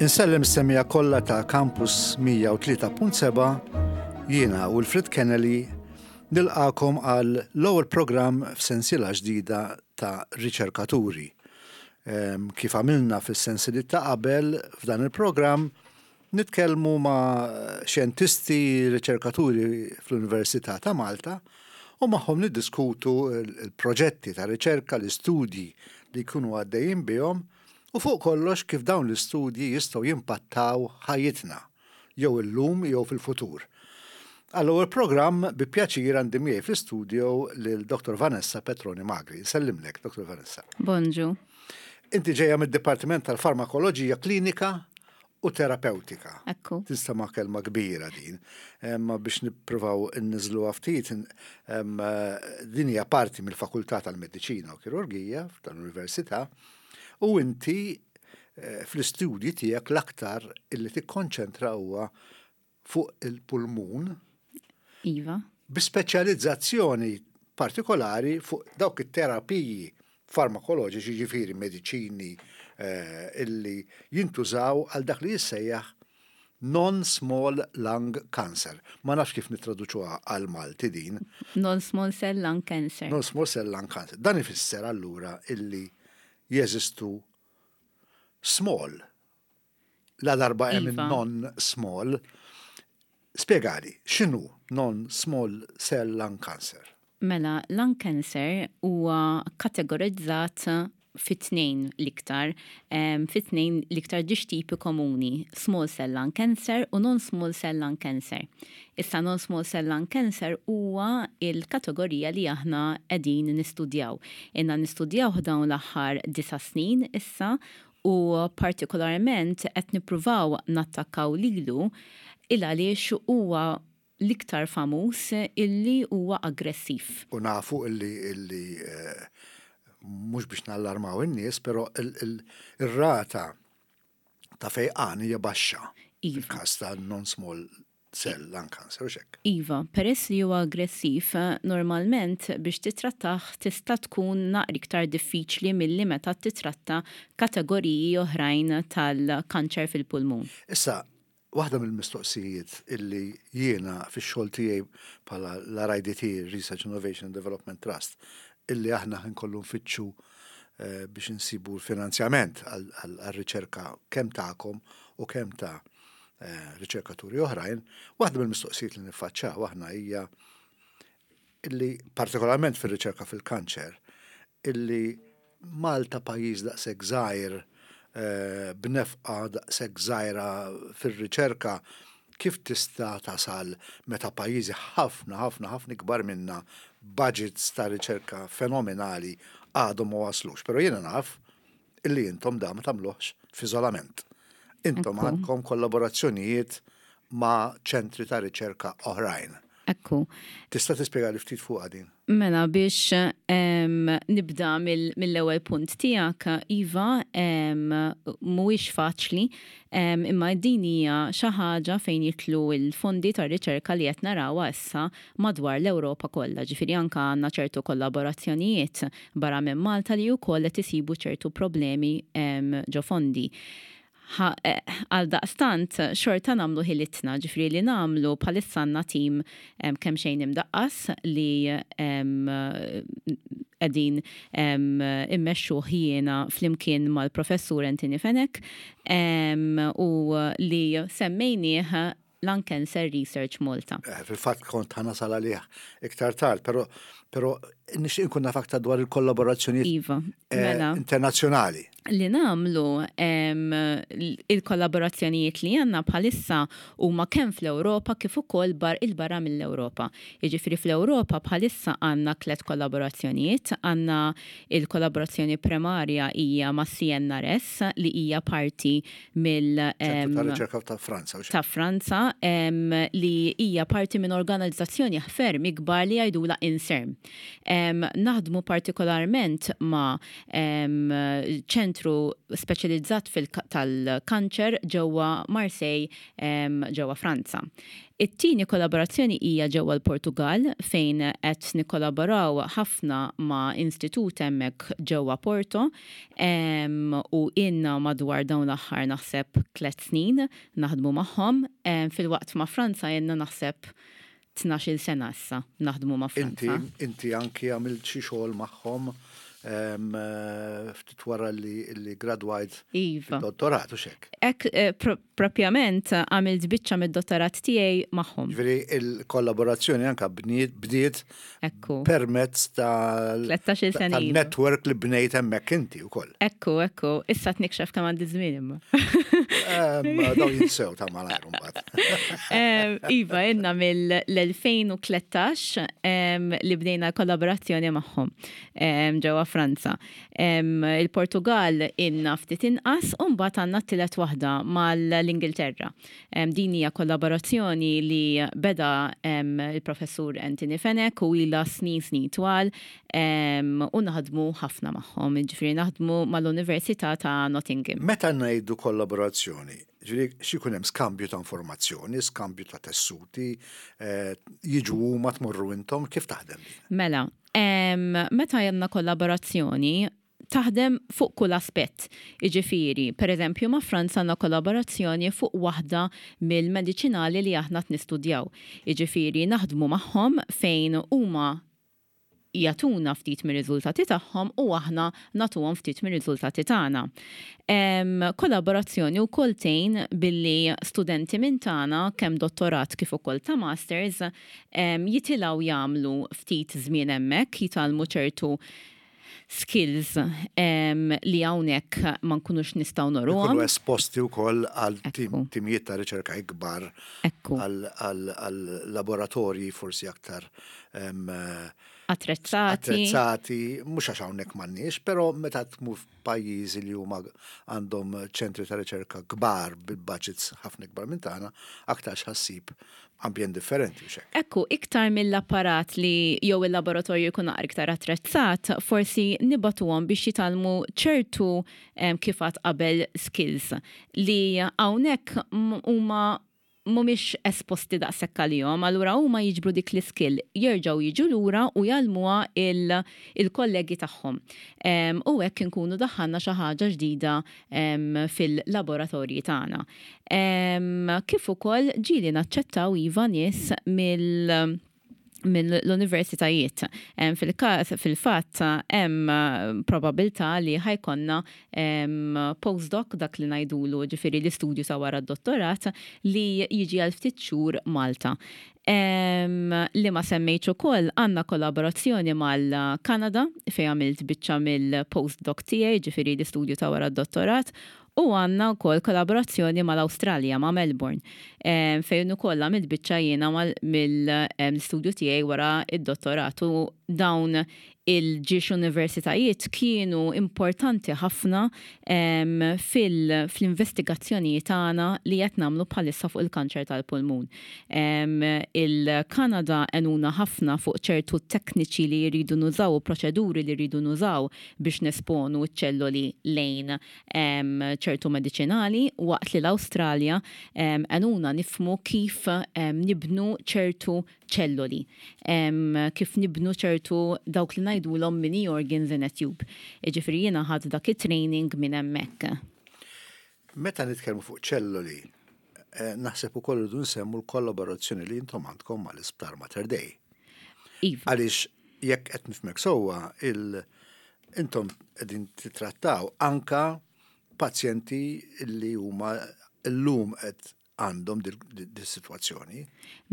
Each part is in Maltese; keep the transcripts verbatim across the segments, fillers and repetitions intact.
Insellem is-semmiegħa kollha ta' Campus mija u tlieta punt sebgħa. Jiena Wilfred Kennelly nilqagħkom għal l-ewwel programm f'sensiela ġdida ta' riċerkaturi. Kif għamilna fis-sensiliet ta' qabel, f'dan il-programm nitkellmu ma' xjentisti, riċerkaturi fl-Università ta' Malta u magħhom niddiskutu il-proġetti ta' riċerka, l-istudji li jkunu għaddejjin bihom u fuq kollox kif dawn l-istudji jistgħu jimpattaw ħajjitna jew illum jew fil-futur. Għall-ewwel programm bi pjaċir għandi miegħi fl-istudio lil Doktor Vanessa Petroni Magri. Nsellimlek, Doktor Vanessa. Bonġu. Inti ġejja mid-Dipartiment tal-Farmakoloġija Klinika u Terapeutika. Ekku. Tinstema' kelma kbira din. Ma biex nippruvaw inniżlu ftit, din hija parti mill-Fakultà tal-Mediċina u Kirurgija tal-Università u inti eh, fl-istudji tiegħek l-aktar illi tikkonċentra huwa fuq il-pulmun Iva. bi speċjalizzazzjoni partikolari fuq dawk it-terapiji farmakoloġiċi, ġifieri mediċini eh, illi jintużaw għal dak li jissejjaħ non-small lung cancer. Ma nafx kif nitraduċuha għal Malti din. Non-small cell lung cancer. Non-small cell lung cancer. Dan ifisser allura illi jeżistu small. La darba hemm Iva. non-small. Spjegali, x'inhu non-small cell lung cancer? Mela, lung cancer huwa kategorizzat fi tnejn l-iktar, um, fi tnejn l-iktar żewġ tipi komuni, small cell lung cancer u non-small cell lung cancer. Issa, non-small cell lung cancer huwa il-kategorija li aħna qegħdin nistudjaw. Ilna nistudjaw dawn l-aħħar disa' snin issa u partikolarment qed nippruvaw nattakkaw lilu il għaliex huwa l-iktar famuż illi huwa aggressiv. U nafu illi illi eh, mhux biex nallarmaw in-nies, però il-rata ta' fejqan hija baxxa. Iva. Fil-każ ta' non-small cell lung cancer, u hekk. Iva, peress li huwa aggressiv, normalment biex titrattah tista' tkun naqra iktar diffiċli milli meta titratta kategoriji oħrajn tal-kanċer fil-pulmun. Issa, waħda mill-mistoqsijiet illi jiena fix-xogħol tiegħi bħala l-R I D T, Research Innovation and Development Trust, illi aħna nkollu nfittxu eh, biex insibu l-finanzjament għal-riċerka kemm tagħkom u kemm ta' eh, riċerkaturi oħrajn, waħda mill-mistoqsijiet li niffaċċaw aħna hija illi partikolarment fir-riċerka fil-kanċer, illi Malta, pajjiż daqshekk żgħir, eh, b'nefqa daqshekk żgħira fir-riċerka, kif tista' tasal meta pajjiżi ħafna ħafna ħafna ikbar minna, budgets ta' riċerka fenomenali, għadhom ma waslux? Però jiena naf illi intom da ma tagħmluhx f'iżolament. Intom Ekku. għandkom kollaborazzjonijiet ma' ċentri ta' riċerka oħrajn. Ekku. Tista' tispjega li ftit fuq din? Mela, biex em, nibda mill- mill-ewwel punt tiegħek, iva, em, mhuwiex faċli, em, imma din hija xi ħaġa fejn jidħlu l-fondi tar riċerka li qed narawha issa madwar l-Ewropa kollha. Ġifieri anke għandna ċertu kollaborazzjonijiet barra minn Malta li wkoll qed isibu ċertu problemi em, ġo fondi. Ha- eh, Għal daqstant, xorta nagħmlu ħilitna, ġifieri li nagħmlu bħalissa għandna tim em, kemm xejn imdaqqas li em, qegħdin immexxu jiena flimkien mal-professur Anthony Fenech em, u li semmejnieh Lung Cancer Research Malta. Eh, Fil-fatt kont ħa nasal għalih iktar tard, pero pero nixtieq nkun naf aktar dwar il-kollaborazzjonijiet Iva, eh, mela. internazzjonali. Li nagħmlu em, il-kollaborazzjonijiet li għandna bħalissa huma kemm fl-Ewropa kif ukoll bar il-barra mill-Ewropa. Jiġifieri fl-Ewropa bħalissa għandna tliet kollaborazzjonijiet, għandna il-kollaborazzjoni primarja hija ma' C N R S li hija parti mill ċentru ta' em, riċerka ta' Franza, u xek. Ta' Franza em, li hija parti minn organizzazzjoni ferm ikbar li jgħidula INSERM. Em, naħdmu partikolarment ma' em, ċentru ċentru speċjalizzat tal-kanċer ġewwa Marseille, ġewwa Franza. It-tieni kollaborazzjoni hija ġewwa l-Portugal, fejn qed nikkollaboraw ħafna ma' istitut hemmhekk ġewwa Porto u ilna madwar dawn l-aħħar, naħseb, tliet snin naħdmu magħhom, filwaqt ma' Franza ilna, naħseb, tnax-il sena issa naħdmu ma' Franza. Inti, inti anki għamilt xi xogħol magħhom ftit wara li, li gradwajt Iva. Dottorat u xek. Ek eh, propjament għamilt biċċa mid-dottorat tiegħi magħhom. Ġifieri il-kollaborazzjoni anka bdiet Ekku. permezz tlettax-il sena ilu. tal-network li bnejt hemmhekk inti wkoll. Ekku, ekku, issa tnikxef kemm għandi żmien imma. Daw jinsew ta' malajr mbagħad. Iva, ilna mill-elfejn u tlettax li bdejna kollaborazzjoni magħhom ġewwa Franza. Il-Portugal ilna ftit inqas u mbagħad għandna t-tielet waħda mal-Ingilterra. Din hija kollaborazzjoni li beda il-professur Anthony Fenech u ilha snin snin twal u naħdmu ħafna magħhom, ġifieri naħdmu mal-Università ta' Nottingham. Meta ngħidu kollaborazzjoni, ġifieri x'ikun hemm? Skambju ta' informazzjoni, skambju ta' tessuti, eh, jiġu huma, tmorru intom, kif taħdem din? Mela, em, meta għandna kollaborazzjoni, taħdem fuq kull aspett. Iġifieri, per eżempju, ma' Franza għandna kollaborazzjoni fuq waħda mill-mediċinali li aħna nistudjaw. Iġifieri, naħdmu magħhom fejn huma jagħtuna ftit mir-riżultati tagħhom u aħna nagħtuhom ftit mir-riżultati tagħna. Em, kollaborazzjoni wkoll tgħin billi studenti minn tagħna, kemm dottorat kif ukoll ta' masters, em, jitilgħu jagħmlu ftit żmien hemmhekk, jitgħallmu ċertu skills em, li hawnhekk ma nkunux nistgħu nuruhom. Ikunu esposti wkoll għal tim- Ekku. timijiet ta' riċerka ikbar, Ekku, għal għal- għal laboratorji forsi aktar em, attrezzati. Attrezzati, mhux għax hawnhekk m'għandniex, però meta tmur f'pajjiżi li huma għandhom ċentri ta' riċerka kbar bil-budgets ħafna ikbar minn tagħna, aktar ħa ssib ambjent differenti u xek. Ekku, iktar mill-apparat li jew il-laboratorju jkun naqra iktar attrezzat, forsi nibagħtuhom biex jitgħallmu ċertu em, kif għedt qabel, skills li hawnhekk m- huma mhumiex esposti daqshekk għalihom, allura huma jiġbru dik l-skill, jerġgħu jiġu lura u jgħallmuha il- il-kollegi tagħhom. Em, U hekk inkunu daħħalna xi ħaġa ġdida em, fil-laboratorji tagħna. Em, Kif ukoll ġieli naċċettaw, iva, nies mill mill-universitajiet. Em, Fil-każ, fil-fatt, hemm eh, probabilità li ħa jkollna em, postdoc, dak li ngħidulu, ġifieri l-istudju sa wara d-dottorat, li jiġi għal ftit xhur Malta. Em, li ma semmejtx ukoll, għandna kollaborazzjoni mal-Kanada fejn għamilt biċċa mill-postdoc tiegħi, ġifieri l-istudju ta' wara d-dottorat, u għandna wkoll kollaborazzjoni mal-Awstralja, ma' Melbourne, em, fejn ukoll għamilt biċċa jiena mill-istudju tiegħi wara id-dottorat, u dawn il-ġiex universitajiet kienu importanti ħafna em, fil- fl-investigazzjonijiet tagħna li qed nagħmlu bħalissa fuq il-kanċer tal-pulmun. Em, Il-Kanada għenuna ħafna fuq ċertu tekniċi li jridu nużaw u proċeduri li jridu nużaw biex nesponu ċ-ċelloli lejn em, ċertu mediċinali, waqt li l-Awstralja em, għenuna nifhmu kif em, nibnu ċertu ċelloli, em, kif nibnu ċertu dawk li ngħidulhom mini organs in a tube. Ġifieri jiena ħadt dak it-training minn hemmhekk. Meta nitkellmu fuq ċelloli, eh, naħseb ukoll irridu nsemmu l-kollaborazzjoni li intom għandkom mal-Isptar Mater Dei. Iva. Għaliex jekk qed nifhmek sewwa, il intom qegħdin titrattaw anka pazjenti li huma llum qed għandhom dis-sitwazzjoni.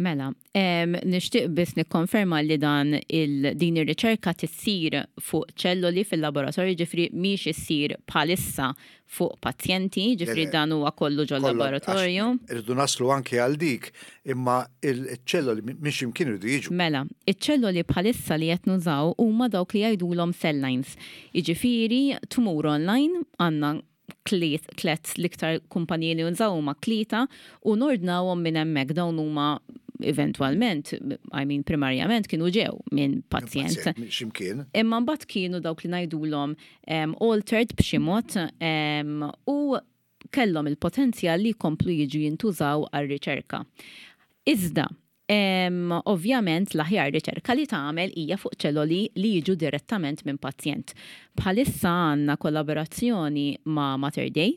Mela, em, nixtieq biss nikkonferma li dan il, din ir-riċerka tissir fuq ċelloli fil-laboratorju, ġifieri mhix issir bħalissa fuq pazjenti, ġifieri Le, le. dan huwa kollu ġol Kollha- laboratorju. għax irridu naslu anke għal dik, imma il-ċelloli minn x'imkien irridu jiġu. Mela, iċ-ċelloli bħalissa li qed nużaw huma dawk li jgħidulhom cell lines. Jiġifieri tmur online, għandna tliet, tlet l-iktar kumpaniji li nużaw huma tlieta, u nordnawhom minn hemmhekk. Dawn huma Eventualment, I mean, primarjament kienu ġew minn pazjent. Ximkien. Imma mbagħad kienu dawk li ngħidulhom um, altered b'xi mod um, u kellhom il-potenzjal li jkomplu jiġu jintużaw għal-riċerka. Iżda, um, ovvjament l-aħjar riċerka li tagħmel hija fuq ċelloli li jiġu direttament minn pazjent. Bħalissa għandna kollaborazzjoni ma' Mater Dei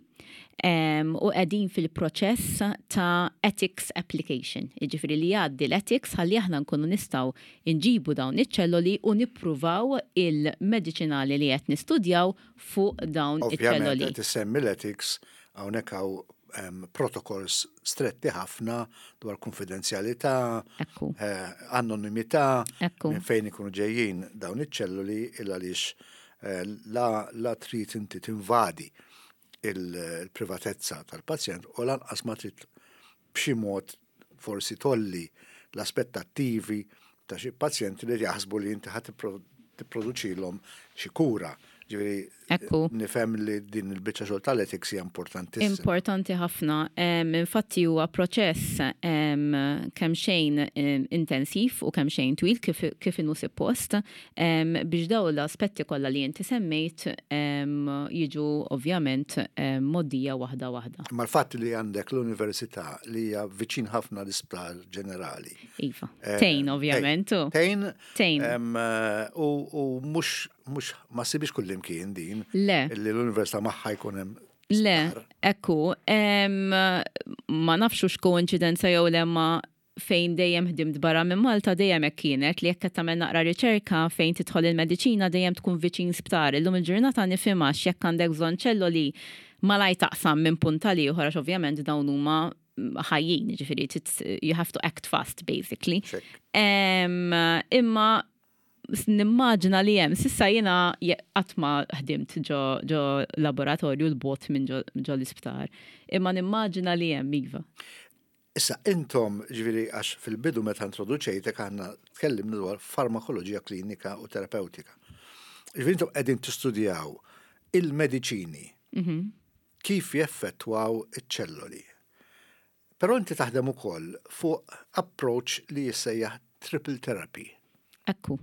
um, u qegħdin fil-proċess ta' ethics application. Jiġifieri li jgħaddi l-ethics ħalli aħna nkunu nistgħu nġibu dawn iċ-ċelloli u nippruvaw il-mediċinali li qed nistudjaw fuq dawn Ovvjament, iċ-ċelloli. qed issemmi l-ethics, hawnhekk hawn em, protocols stretti ħafna dwar konfidenzjalità, Ekku. eh, anonimità, Ekku. minn fejn ikunu ġejjin dawn iċ-ċelluli, il għaliex eh, la, la trid inti tinvadi il-privatezza tal-pazjent u lanqas ma trid b'xi mod forsi tgħolli l-aspettattivi ta' xi pazjenti li jaħsbu li inti ħa tipproduċilhom xi kura. Ġifieri Ekku. nifhem li din il-biċċa xogħol tal-ethics hija importantissima. Importanti ħafna. Em, Infatti huwa proċess em, kemm xejn em, intensiv u kemm xejn twil kif, kif inhu suppost em, biex daw l-aspetti kollha li inti semmejt em, jiġu ovvjament em, mgħoddija waħda waħda. Ma l-fatt li għandek l-università li hija viċin ħafna l-isptar ġenerali. Iva. Eh, Tgħin, ovvjament. u. Tgħin. Tgħin. em, eh, U u mhux mhux ma ssibhiex kullimkien din. Le. Li l-università magħha jkun hemm Le, sptar. Ekku, em, ma nafx hux koinċidenza jew le, ma fejn dejjem ħdimt barra minn Malta dejjem hekk kienet, li jekk qed tagħmel naqra riċerka fejn tidħol il-mediċina dejjem tkun viċin sptar. Illum il-ġurnata nifhimha, jekk għandek bżonn ċelloli malaj taqsam minn punt għal ieħor, għax ovvjament dawn huma ħajjin, ġifieri you have to act fast, basically. Check. Em, imma nimmaġina li hemm, s'issa jiena qatt ma ħdimt ġo, ġo laboratorju 'l bogħod minn ġo, ġo l-isptar. Imma nimmaġina li hemm, iva. Issa intom, ġifieri, għax fil-bidu meta introduċejtek aħna tkellimna dwar farmakoloġija klinika u terapeutika. Ġifieri intom qegħdin tistudjaw il-mediċini kif jeffettwaw iċ-ċelloli. Però inti taħdem ukoll fuq approach li jissejjaħ triple therapy. Ekku.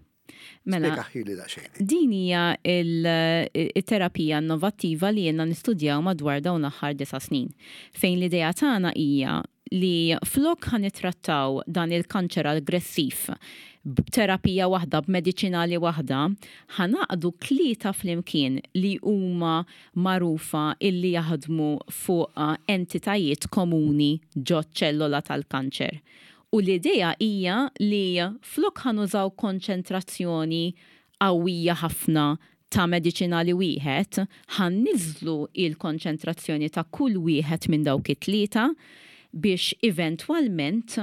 Mela, Spjegahieli daqsxejn. Din hija il-terapija innovattiva li jiena nistudjaw madwar dawn l-aħħar disa' snin. Fejn l-idea tagħna hija li flok ħa nittrattaw dan il-kanċer aggressiv b'terapija waħda, b'mediċinali waħda, ħa ngħaqqdu tlieta flimkien li huma magħrufa illi jaħdmu fuq entitajiet komuni ġo ċellola tal-kanċer. U l-idea hija li flok ħa nużaw konċentrazzjoni qawwija ħafna ta' mediċinali wieħed, ħa nniżżlu il-konċentrazzjoni ta' kull wieħed minn dawk it-tlieta biex eventwalment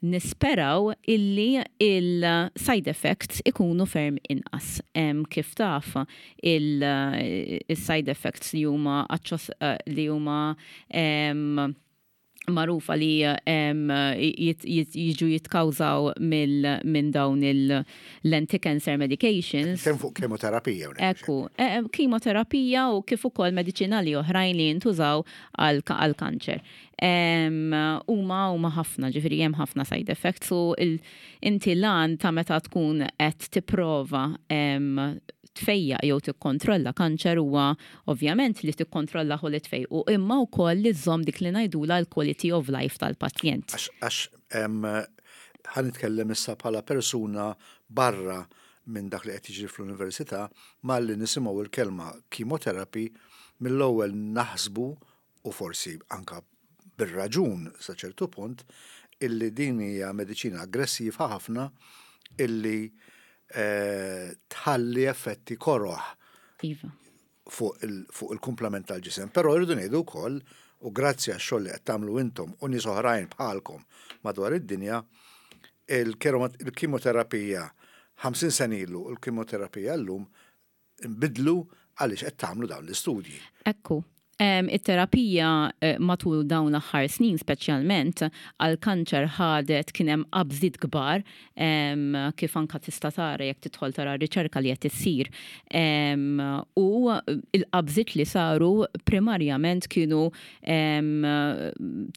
nisperaw illi il-side effects ikunu ferm inqas. Em, kif taf, il-side effects li huma aċċos- eh, li huma em, magħrufa li em, jit- jit- jiġu jitkawżaw mill- minn dawn l-anti-cancer medications. Kemm fuq kemoterapija hawnhekk. Ekku, eh, kimoterapija u kif ukoll mediċinali oħrajn li jintużaw għal kanċer. Huma huma ħafna, ġifieri hemm ħafna side effects u il- inti lan ta' meta tkun qed tipprova em, tfejjaq jew tikkontrolla kanċer huwa ovvjament li tikkontrolla u li tfejqu, imma wkoll li żżomm dik li ngħidula l-quality of life tal-pazjent. Għax għax em, ħa nitkellem issa bħala persuna barra minn dak li qed jiġri fl-università, malli nisimgħu il-kelma chemotherapy mill-ewwel naħsbu, u forsi anka bir-raġun sa ċertu punt, illi din hija mediċina aggressiva ħafna illi eh, tħalli effetti koroħ Iva. fuq il- fuq il-kumplament tal-ġisem. Però rridu ngħidu wkoll, u grazzi għax-xogħol li qed tagħmlu intom u nies oħrajn bħalkom madwar id-dinja, il-kimoterapija ħamsin sena ilu u l-kimoterapija llum nbidlu għaliex qed tagħmlu dawn l-istudji. Ekku. It-terapija eh, matul dawn l-aħħar snin, speċjalment għal kanċer, ħadet, kien hemm qabżiet kbar, kif anka tista' tara jekk tidħol tara riċerka li qed issir. U il-qabżiet li saru primarjament kienu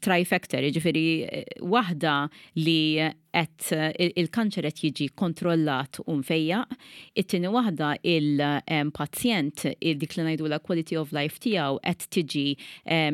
trifecta, jiġifieri eh, waħda li qed il-kanċer qed jiġi kontrollat u mfejjaq, it-tieni waħda, il-pazjent, dik li ngħidu la quality of life tiegħu qed tiġi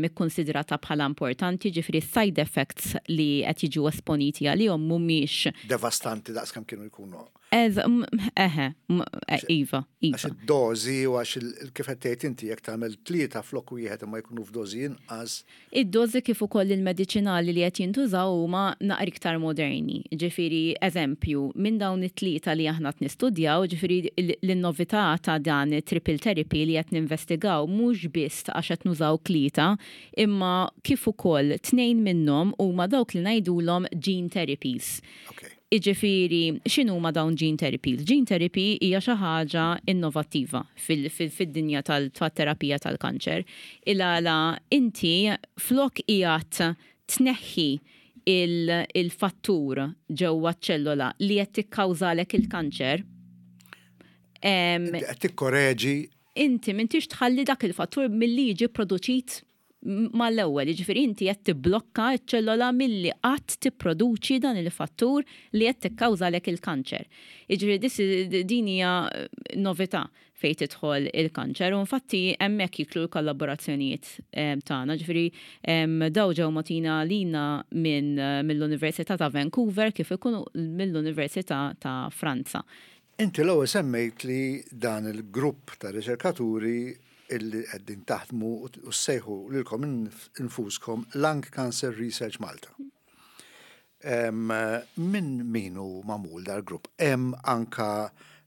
ikkonsidrata bħala importanti, ġifieri side effects li qed jiġu esponiti għalihom mhumiex devastanti daqs kemm kienu jkunu. Eħe, e, iva, iva. Għax id-dozi u għax kif qed tgħid inti, jekk tagħmel tlieta flok wieħed imma jkunu f'dozi inqas. Id-dozi kif ukoll il-mediċinali li qed jintużaw huma naqra iktar moderni. Ġifieri, eżempju, minn dawn it-tlieta li aħna qed nistudjaw, ġifieri l-novità ta' dan triple therapy li qed ninvestigaw mhux biss għax qed nużaw tlieta, imma kif ukoll tnejn minnhom huma dawk li ngħidulhom gene therapies. Okay. Iġifieri, x'inhu ma dawn gene therapies? Gene therapy hija xi ħaġa innovattiva fid-dinja tal-terapija tal-kanċer. Il-għala inti flok qiegħed tneħħi il-fattur ġewwa ċellola li qed tikkawżalek il-kanċer. Qed tikkoreġi. Inti m'intix tħalli dak il-fattur milli jiġi produċit mal-ewwel, jiġifieri inti qed tibblokka ċ-ċellola milli qatt tipproduċi dan il-fattur li qed tikkawżalek il-kanċer. Jiġifieri din hija novità fejn tidħol il-kanċer u infatti hemmhekk jidħlu l-kollaborazzjonijiet tagħna, ġifieri dawn ġew mogħtijin lilna minn mill-Università ta' Vancouver kif ikunu mill-Università ta' Franza. Inti l-ewwel semmejt li dan il-grupp ta' riċerkaturi illi qegħdin taħdmu u ssejħu lilkom infuskom Lung Cancer Research Malta. Min min hu magħmul dal-grupp? Hemm anka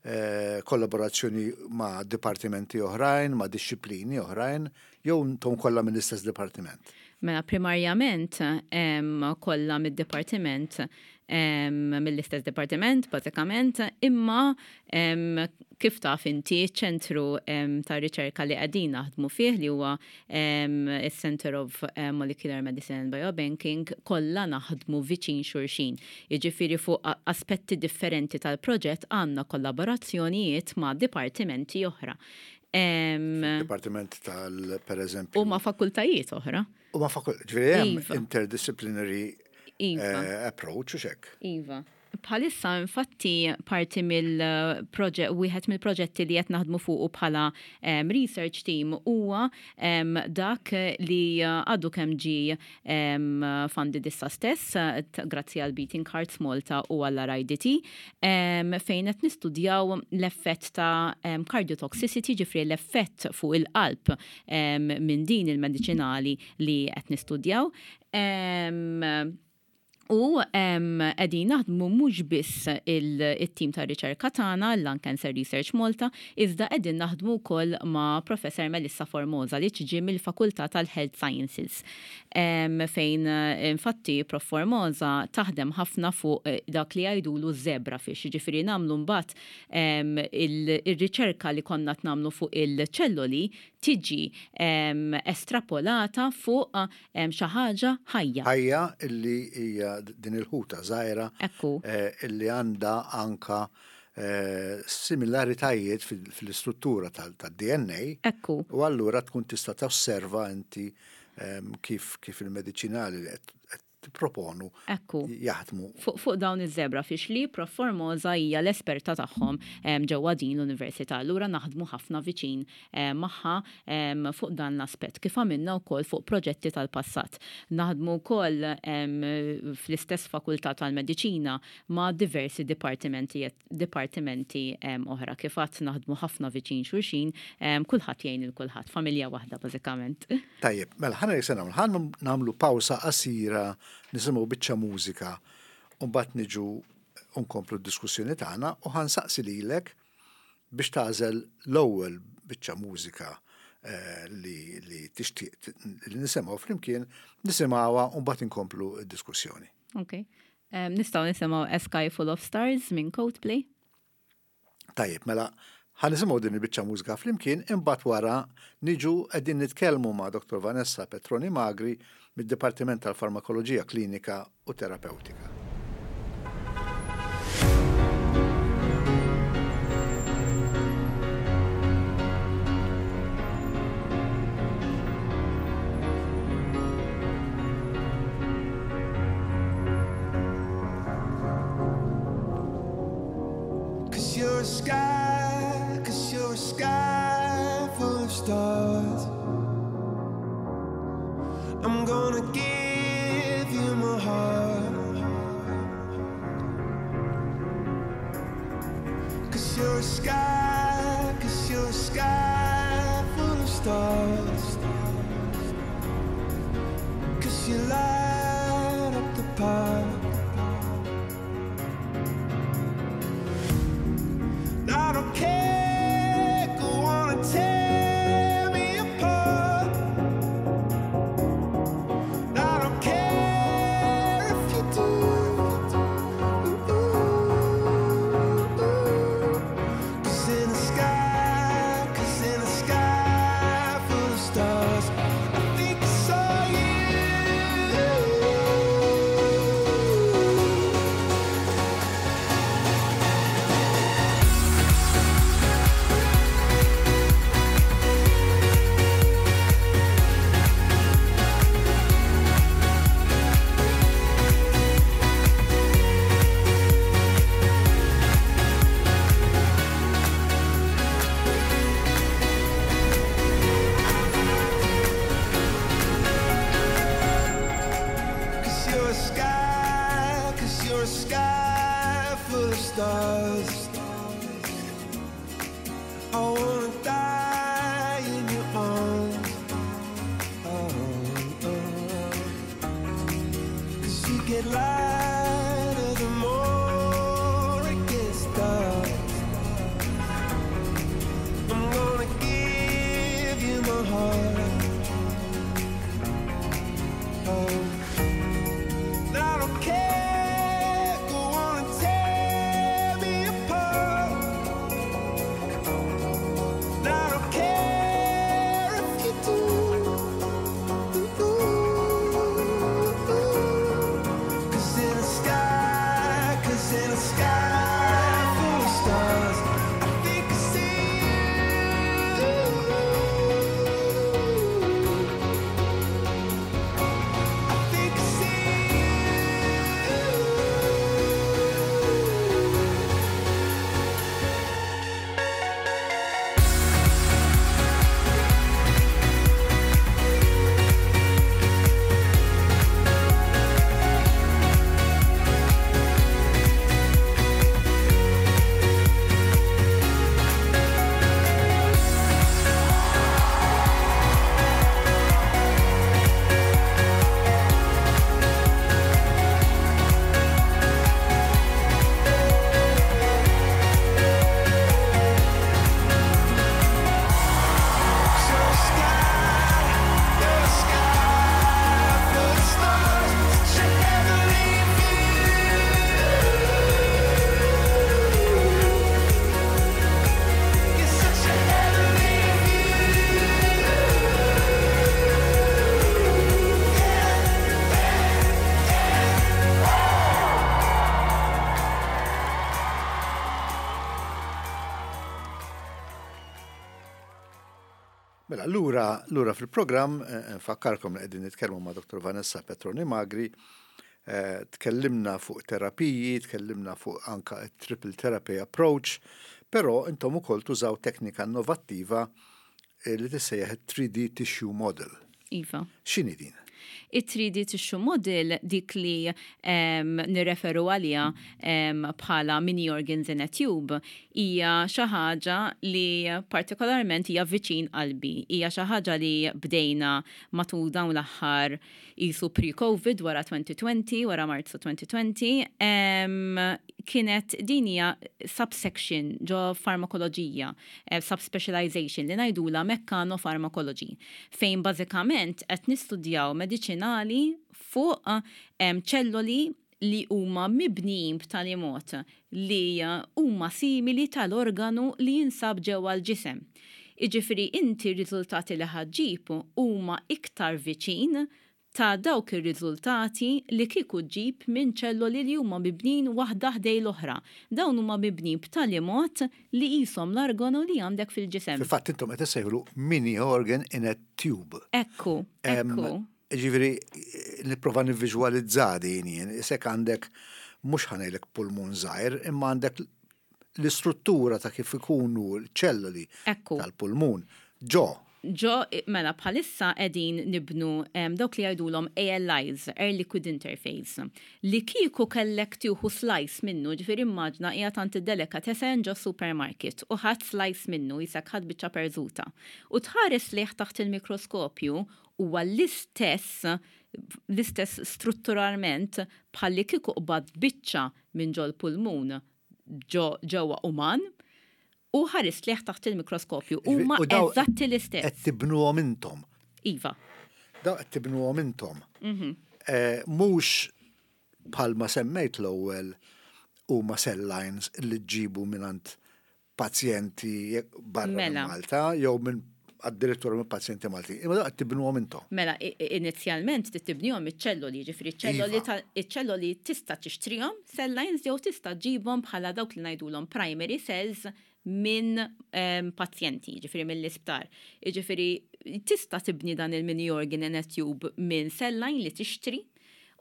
eh, kollaborazzjoni ma' dipartimenti oħrajn, ma' disċiplini oħrajn, jew intom kollha mill-istess dipartiment? Mela, primarjament kollha mid-dipartiment, mill-istess dipartiment, bażikament, imma kif taf inti, ċentru ta' riċerka li qegħdin naħdmu fih, li huwa il-Center of Molecular Medicine and Biobanking, kollha naħdmu viċin xulxin. Jiġifieri fuq aspetti differenti tal-proġett għandna kollaborazzjonijiet ma' dipartimenti oħra. Dipartiment tal, per eżempju. U ma' fakultajiet oħra. U ma' fakultajiet, ġifieri hemm iva. interdisciplinary iva. Eh, approach u hekk. Iva. Bħalissa, infatti, parti mill-proġett, wieħed mill-proġetti li qed naħdmu fuqu bħala um, research team huwa um, dak li għadu kemm ġi um, funded issa stess, grazzi għal Beating Hearts Malta u għall R I D T, um, fejn qed nistudjaw l-effett ta' um, cardiotoxicity, ġifieri l-effett fuq il-qalb um, minn din il-medicinali li qed nistudjaw. Um, U qegħdin naħdmu mhux biss il-tim ta' riċerka tagħna, l-Lung Cancer Research Malta, iżda qegħdin naħdmu wkoll ma' Professor Melissa Formosa li tiġi mill-Fakultà tal-Health Sciences. Fejn infatti Prof Formosa taħdem ħafna fuq eh, dak li jgħidulu zebrafish, ġifieri nagħmlu mbagħad il-riċerka li konna nagħmlu fuq il-ċelloli tiġi estrapolata fuq xi ħaġa ħajja. Ħajja illi hija din il-ħuta żgħira Ekku. Eh, illi għandha anka eh, similaritajiet fil-istruttura tad-D N A. Ekku. U allura tkun tista' tosserva inti kif kif il-mediċinali li qed tipproponu Ekku. jaħdmu. Fuq fu dawn iż-zebrafish li Prof Formosa hija l-esperta tagħhom ġewwa din l-università. Allura naħdmu ħafna viċin magħha fuq dan l-aspett, kif għamilna wkoll fuq proġetti tal-passat. Naħdmu wkoll fl-istess fakultà tal-mediċina ma' diversi dipartimenti dipartimenti oħra. Kif għedt, naħdmu ħafna viċin xulxin, kulħadd jgħin il kulħadd, familja waħda bażikament. Tajjeb, mela ħana se nagħmlu, ħa nagħmlu pawsa qasira, nisimgħu biċċa mużika u mbagħad niġu nkomplu d-diskussjoni tagħna u ħa nsaqsi lilek biex tagħżel l-ewwel biċċa mużika eh, li, li tixtieq li nisimgħu flimkien, nisimgħuha u mbagħad inkomplu d-diskussjoni. Ok. Um, nistgħu nisimgħu A Sky Full of Stars minn Coldplay. Tajjeb, mela Ħa nisimgħu din il-biċċa mużika flimkien, imbagħad wara niġu qegħdin nitkellmu ma' Dottor Vanessa Petroni Magri mid-Dipartiment tal-Farmakoloġija Klinika u Terapeutika. Cause you're a sky, cause you're a sky full of stars. I'm gonna give you my heart. Cause you're a sky, cause you're a sky full of stars. Cause you light up the park. I don't care, go on and tear me apart. I don't care if you do. Cause in the sky, cause in the sky full of stars, I think I saw you. Cause you're a sky, cause you're a sky full of stars. I wanna die in your arms. Oh, oh, oh. Cause you get lighter the more it gets dark. I'm gonna give you my heart. Oh. I don't care, go on and tear me apart. I don't care if you do. Cause in the sky, cause in the sky full of stars, I think I see you. I think I see you. You're a sky, you're a sky full of stars. Such a heavenly view. You're such a heavenly view. Yeah, yeah, yeah. Mela, lura, lura fil-programm, eh, nfakkarkom li qegħdin nitkellmu ma' Dottor Vanessa Petroni Magri, eh, tkellimna fuq terapiji, tkellimna fuq anka triple therapy approach, però intom ukoll tużaw teknika innovattiva eh, li tissejjaħ three D tissue model. Iva. X'inhi din? It-three D tissue model, dik li um, nirreferu għalija um, bħala mini organs in a tube, hija xi ħaġa li partikolarment hija viċin qalbi. Hija xi ħaġa li bdejna matul dawn l-aħħar isu pre-COVID, wara twenty twenty, wara Marzu twenty twenty, um, kienet din hija subsection ġo farmakoloġija, eh, subspecialization li ngħidula mechanofarmakology, fejn bażikament qed nistudjaw mediċinali fuq em, ċelloli li huma mibnijin b'tali mod li huma simili tal-organu li jinsab ġewwa l-ġisem. Iġifieri inti r-riżultati li ħa ġġib huma iktar viċin ta' dawk ir-riżultati li kieku ġġib minn ċelloli li huma mibnin waħda ħdejn l-oħra. Dawn huma mibnin b'tali mod li qishom l-organu li għandek fil-ġisem. Fil-fatt intom qed issejħulu mini organ in a tube. Ekku, ekku. Ġifieri, nipprova nivviżwalizza din jien, isek għandek mhux ħa ngħidlek pulmun żgħir, imma għandek l-istruttura ta' kif ikunu l-ċelloli tal-pulmun. Ġo. Ġo, mela, bħalissa qegħdin nibnu dawk li jgħidulhom A L Is, Air Liquid Interface, li kieku kellek tieħu slice minnu, ġifieri immaġina qiegħed għand id-delicatessen ġo supermarket u ħadt slice minnu, qisek ħadt biċċa perżuta. U tħares lejh taħt il-mikroskopju, huwa l-istess l-istess strutturalment bħalli kieku qbadt biċċa minn ġol pulmun ġewwa uman u ħarist lejh taħt il-mikroskopju. Huma eżatti l-istess. Qed tibnuhom intom. Iva. Daw qed tibnuhom intom. Mhm. Eh, mhux bħalma semmejt l-ewwel huma cell lines li ġġibu mingħand pazjenti barra minn Mela. Malta jew minn addirittura minn pazjenti Malti. Imma daw qed tibnuhom intom. Mela, i- i- inizjalment tibnihom iċ-ċelloli, ġifieri iċ-ċelloli Iva. ta' iċ-ċelloli tista' tixtrihom cell lines jew tista' ġġibhom bħala dawk li ngħidulhom primary cells minn em, pazjenti, ġifieri mill-isptar. Ġifieri tista' tibni dan il-mini organ in a tube minn cell line li tixtri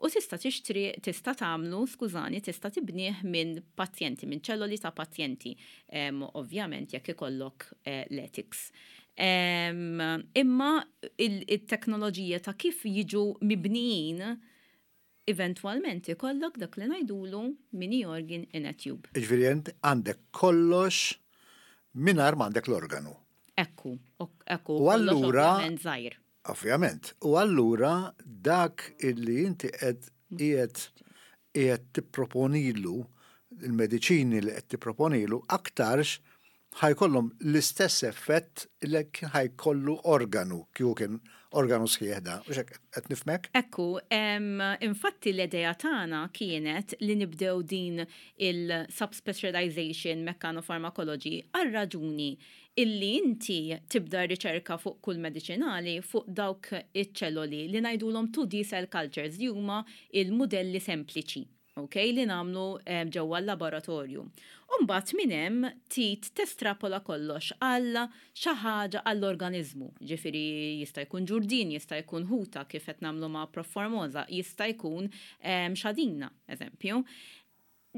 u tista' tixtri, tista' tagħmlu, skużani, tista' tibnih minn pazjenti, minn ċelloli ta' pazjenti. Em, ovvjament jekk ikollok eh, l-ethics. Em, imma il- il-teknoloġija ta' kif jiġu mibnijin, eventwalment ikollok dak li ngħidulu mini organ in a tube. Ġifieri int għandek kollox mingħajr m'għandek l-organu. Ekku, ok- ekku, U kollox allura- ovvjament żgħir. Ovvjament. U allura dak illi inti qed qiegħed qiegħed tipproponilu, il-mediċini li qed tipproponilu aktarx ħa jkollhom l-istess effett li kien ħa jkollu organu, kieku kien organu sħiħ da. U hekk qed nifhmek? Ekku, em, infatti l-idea tagħna kienet li nibdew din il-subspecialization mechanofarmacology għal raġuni illi inti tibda riċerka fuq kull medicinali fuq dawk iċ-ċelloli li ngħidulhom two D cell cultures, li huma il-modelli sempliċi, ok, li nagħmlu em, ġewwa l-laboratorju. Umbagħad minn hemm tit testrapola kollox għal xi ħaġa għall-organizmu. Ġifieri jista' jkun ġurdin, jista' jkun ħuta kif qed nagħmlu ma' Prof Formosa, jista' jkun em, xadina, eżempju.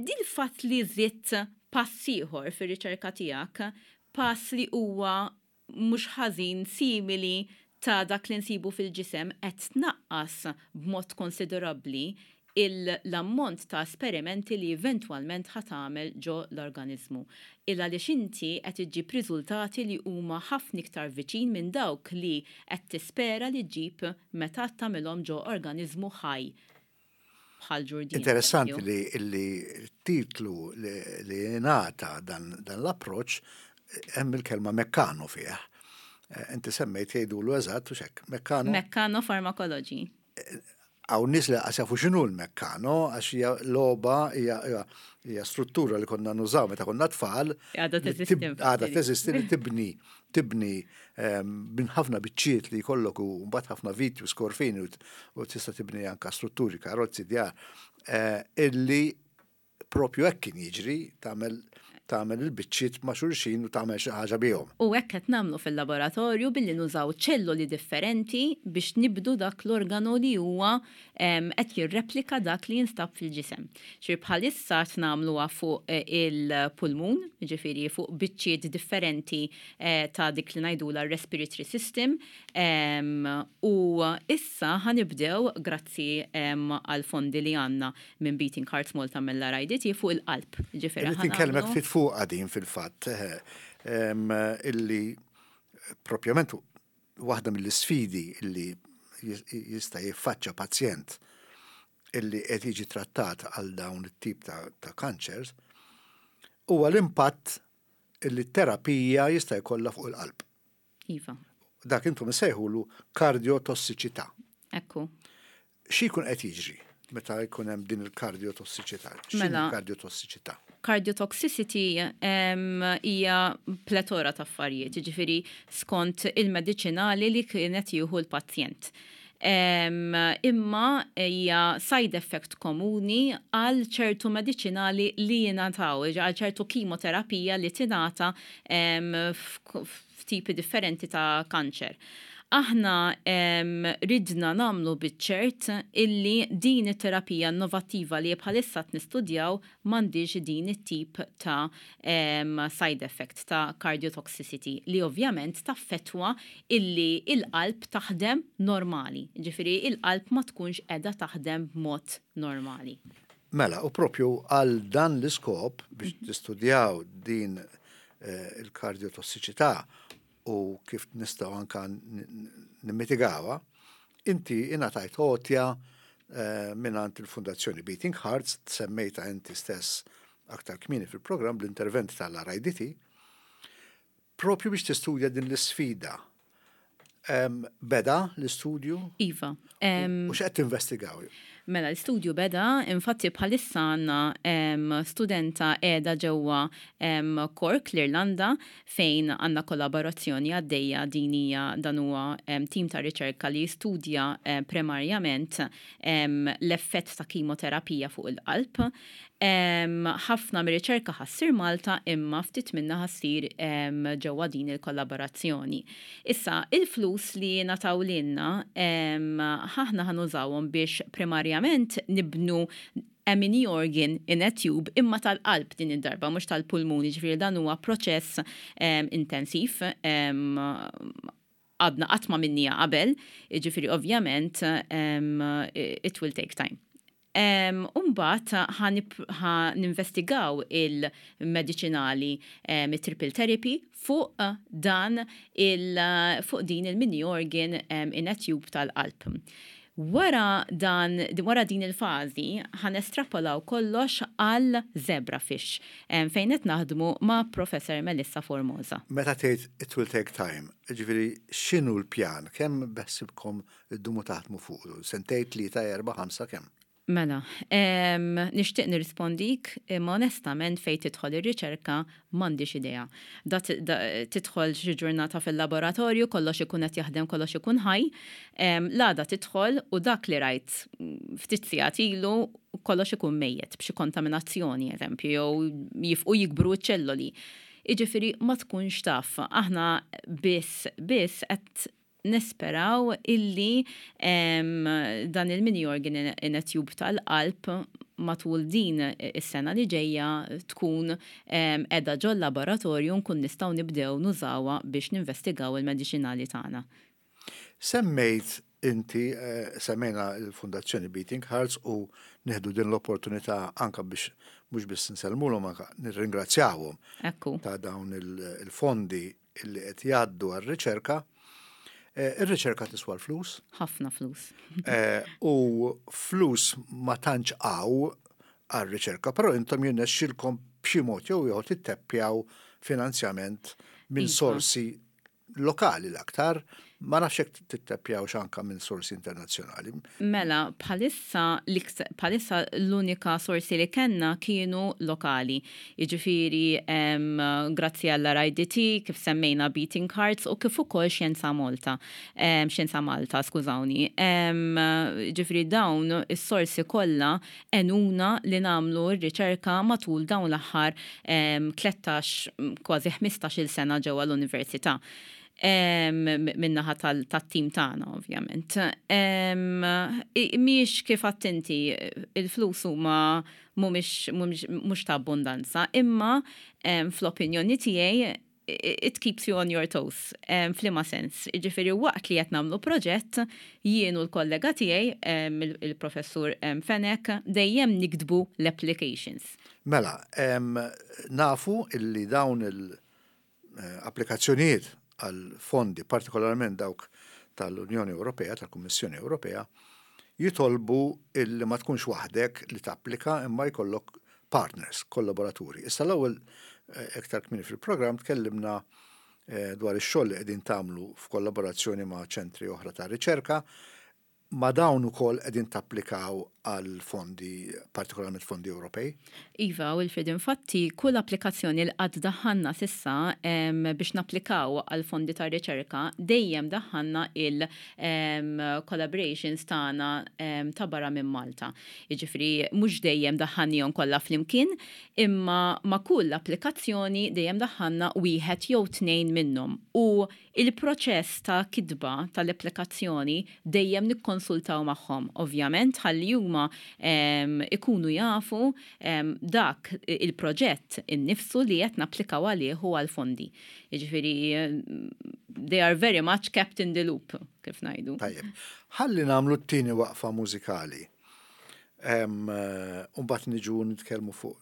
Dil fatt li żidt pass ieħor fir-riċerka tiegħek, pass li huwa mhux ħażin simili ta' dak li nsibu fil-ġisem, qed tnaqqas b'mod konsiderabbli l-ammont ta' esperimenti li eventwalment ħa tagħmel ġo l-organizmu. Illa li inti qed iġġib riżultati li huma ħafna iktar viċin minn dawk li qed tispera li ġġib meta tagħmilhom ġo organizmu ħaj bħal ġurdin. Interessanti eżempju. li li titlu li, li ngħata dan, dan l-approċ hemm il-kelma mekkano fih. Eh, Inti semmejt jgħidulu eżatt u hekk, mekkano. Mechanofarmacology. Hawn nies li qas jafu x'inhu l-mekkano, għax hija logħba, hija hija- hija struttura li konna nużaw meta konna tfal. Għadha li teżisti, tib- infatti. Għadha teżisti, li tibni tibni ehm, minn ħafna biċċiet li jkollok u mbagħad ħafna viti u skorfini u t- u tista' tibni anka strutturi, karozzi, djar, eh, illi propju hekk kien jiġri, tagħmel tagħmel il-biċċiet ma' xulxin u tagħmel xi ħaġa bihom. U hekk qed nagħmlu fil-laboratorju billi nużaw ċelloli differenti biex nibnu dak l-organu li huwa em, qed jirreplika dak li jinstab fil-ġisem. Ġifieri bħalissa qed nagħmluha fuq eh, il-pulmun, ġifieri fuq biċċiet differenti eh, ta' dik li ngħidula respiratory system, em, u issa ħa nibdew grazzi em, għal fondi li għandna minn Beating Hearts Malta, mill-R I D T, fuq il-qalb. Ġifieri Irrid inkellmek ftit fuq din fil-fatt, eh, em, illi propjament waħda mill-isfidi illi jis- jista' jiffaċċa pazjent illi qed jiġi trattat għal dawn it-tip ta', ta' cancers huwa l-impatt illi t-terapija jista' jkollha fuq il-qalb. Iva, Dak intom issejħulu kardiotossiċità. Ekku. Xi jkun qed jiġri? meta jkun hemm din il-kardiotossiċità? X'inhi Mela. Kardiotossiċità? Cardiotoxicity hija pletora ta' affarijiet, jiġifieri skont il-mediċinali li kienet jieħu l-pazjent. Em, imma hija side effect komuni għal ċertu mediċinali li jingħataw, għal ċertu kimoterapija li tingħata em, f'tipi differenti ta' kanċer. Aħna em, ridna nagħmlu biċ-ċert illi din it-terapija innovattiva li bħalissa nistudjaw m'għandix din it-tip ta' em, side effect ta' cardiotoxicity li ovvjament taffetwa illi il-qalb taħdem normali. Ġifieri il-qalb ma tkunx qiegħda taħdem b'mod normali. Mela, u propju għal dan l-iskop biex tistudjaw din eh, il-kardiotossiċità u kif nistgħu anka nimmitigawha, inti ingħatajt għotja eh, mingħand il-Fundazzjoni Beating Hearts, semmejta inti stess aktar kmieni fil-programm l-intervent tal-R I D T, propju biex tistudja din l-sfida. Em, Beda l-istudju? Iva. U x'qed tinvestigaw? Mela, l-studju beda, infatti bħalissa għandna em, studenta qiegħda ġewwa em, Cork, l-Irlanda, fejn għandna kollaborazzjoni għaddejja. Din hija dan huwa em, tim ta' riċerka li jistudja em, primarjament em, l-effett ta' kimoterapija fuq il-qalb. Em, Ħafna mir-riċerka ħa ssir Malta, imma ftit minna ħa ssir em, ġewwa din il-kollaborazzjoni. Issa, il-flus li ngħataw lilna, aħna ħa nużawhom biex primarjament nibnu a mini organ in a tube, imma tal-qalb din id-darba, mhux tal-pulmuni, ġifieri dan huwa proċess um, intensiv, um, għadna qatt ma għamilnieha qabel, ġifieri ovvjament um, it will take time. Um, Umbagħad ħa ninvestigaw il-medicinali, um, il-triple therapy fuq dan il, fuq din il-mini organ um, in a tube tal-qalb. Wara, dan, wara din il-fażi ħa nestrapolaw kollox għal zebrafish um, fejn qed naħdmu ma' Professor Melissa Formosa. Meta tgħid "it will take time", ġifieri x'inhu l-pjan? Kemm beħsiebkom iddumu taħdmu fuq? Sentejn, tlieta, erba', ħamsa, kemm? Mela, em, nixtieq nirrispondik, imma onestament fejn tidħol ir-riċerka m'għandix idea. Da, da, tidħol xi ġurnata fil-laboratorju, kollox ikun qed jaħdem, kollox ikun ħaj. Em, L-għada tidħol u dak li rajt ftit sigħat ilu kollox ikun mejjet b'xi kontaminazzjoni, eżempju, jew jifqu jikbru ċ-ċelloli. Jiġifieri ma tkunx taf, aħna biss biss qed nisperaw illi em, dan il-mini organ in, in a tube tal-qalb matul din is-sena li ġejja tkun em, qiegħda ġol laboratorju, nkun nistgħu nibdew nużawha biex ninvestigaw il-mediċinali tagħna. Semmejt inti, eh, semmejna il-Fundazzjoni Beating Hearts u nieħdu din l-opportunità anka biex mhux biss nsellmulhom, anka nirringrazzjawhom Ekku. ta' dawn il- il-fondi illi qed jgħaddu għar-riċerka. Eh, Ir-riċerka tiswa l-flus. Ħafna flus. Eh, u flus ma tantx hawn għar-riċerka, però intom jirnexxilkom b'xi mod jew ieħor titteppjaw finanzjament minn Iva. sorsi lokali l-aktar, ma nafx hekk titteppjaw anka minn sorsi internazzjonali. Mela, bħalissa, l-ikt- bħalissa l-unika sorsi li kellna kienu lokali. Jiġifieri, em, grazzi għall-R I D T, kif semmejna Beating Hearts u kif ukoll Xjenza Malta. Em, Xjenza Malta, skużawni. Em, Jiġifieri dawn is-sorsi kollha għenuna li nagħmlu r-riċerka matul dawn l-aħħar em, tlettax, kważi ħmistax-il sena ġewwa l-università. Em, Min-naħa tal-tim tagħna, ovvjament. Em, i- Mhix kif attenti, il-flus huma mhumiex mhumiex mhux ta' abbondanza, imma em, fl-opinjoni tiegħi it keeps you on your toes, um, f'liema sens? Ġifieri waqt li qed nagħmlu proġett, jien u l-kollega tiegħi, em, il- il-professur em, Fenech, dejjem niktbu l-applications. Mela, em, nafu illi dawn il-applikazzjonijiet għal fondi, partikolarment dawk tal-Unjoni Ewropea, tal-Kummissjoni Ewropea, jitolbu illi ma tkunx waħdek li tapplika imma jkollok partners, kollaboraturi. Issa l-ewwel eh, iktar kmieni fil-programm tkellimna eh, dwar ix-xogħol li qegħdin tagħmlu f'kollaborazzjoni ma' ċentri oħra ta' riċerka. Ma dawn ukoll qegħdin tapplikaw għal fondi, partikolarment fondi Ewropej? Iva, Wilfred, infatti, kull applikazzjoni li qatt daħħalna s'issa biex napplikaw għal fondi ta' riċerka, dejjem daħħalna il-collaborations tagħna ta' barra minn Malta. Jiġifieri mhux dejjem daħħalnihom kollha flimkien, imma ma' kull applikazzjoni dejjem daħħalna wieħed jew tnejn minnhom. U il-proċess ta' kitba tal-applikazzjoni dejjem nikkonsultaw magħhom, ovvjament, ħalli huma ikunu jafu dak il-proġett innifsu li qed napplikaw għalih u għal-fondi. Jiġifieri they are very much kept in the loop, kif ngħidu. Tajjeb. Ħalli nagħmlu t-tieni waqfa mużikali. Mbagħad niġu nitkellmu fuq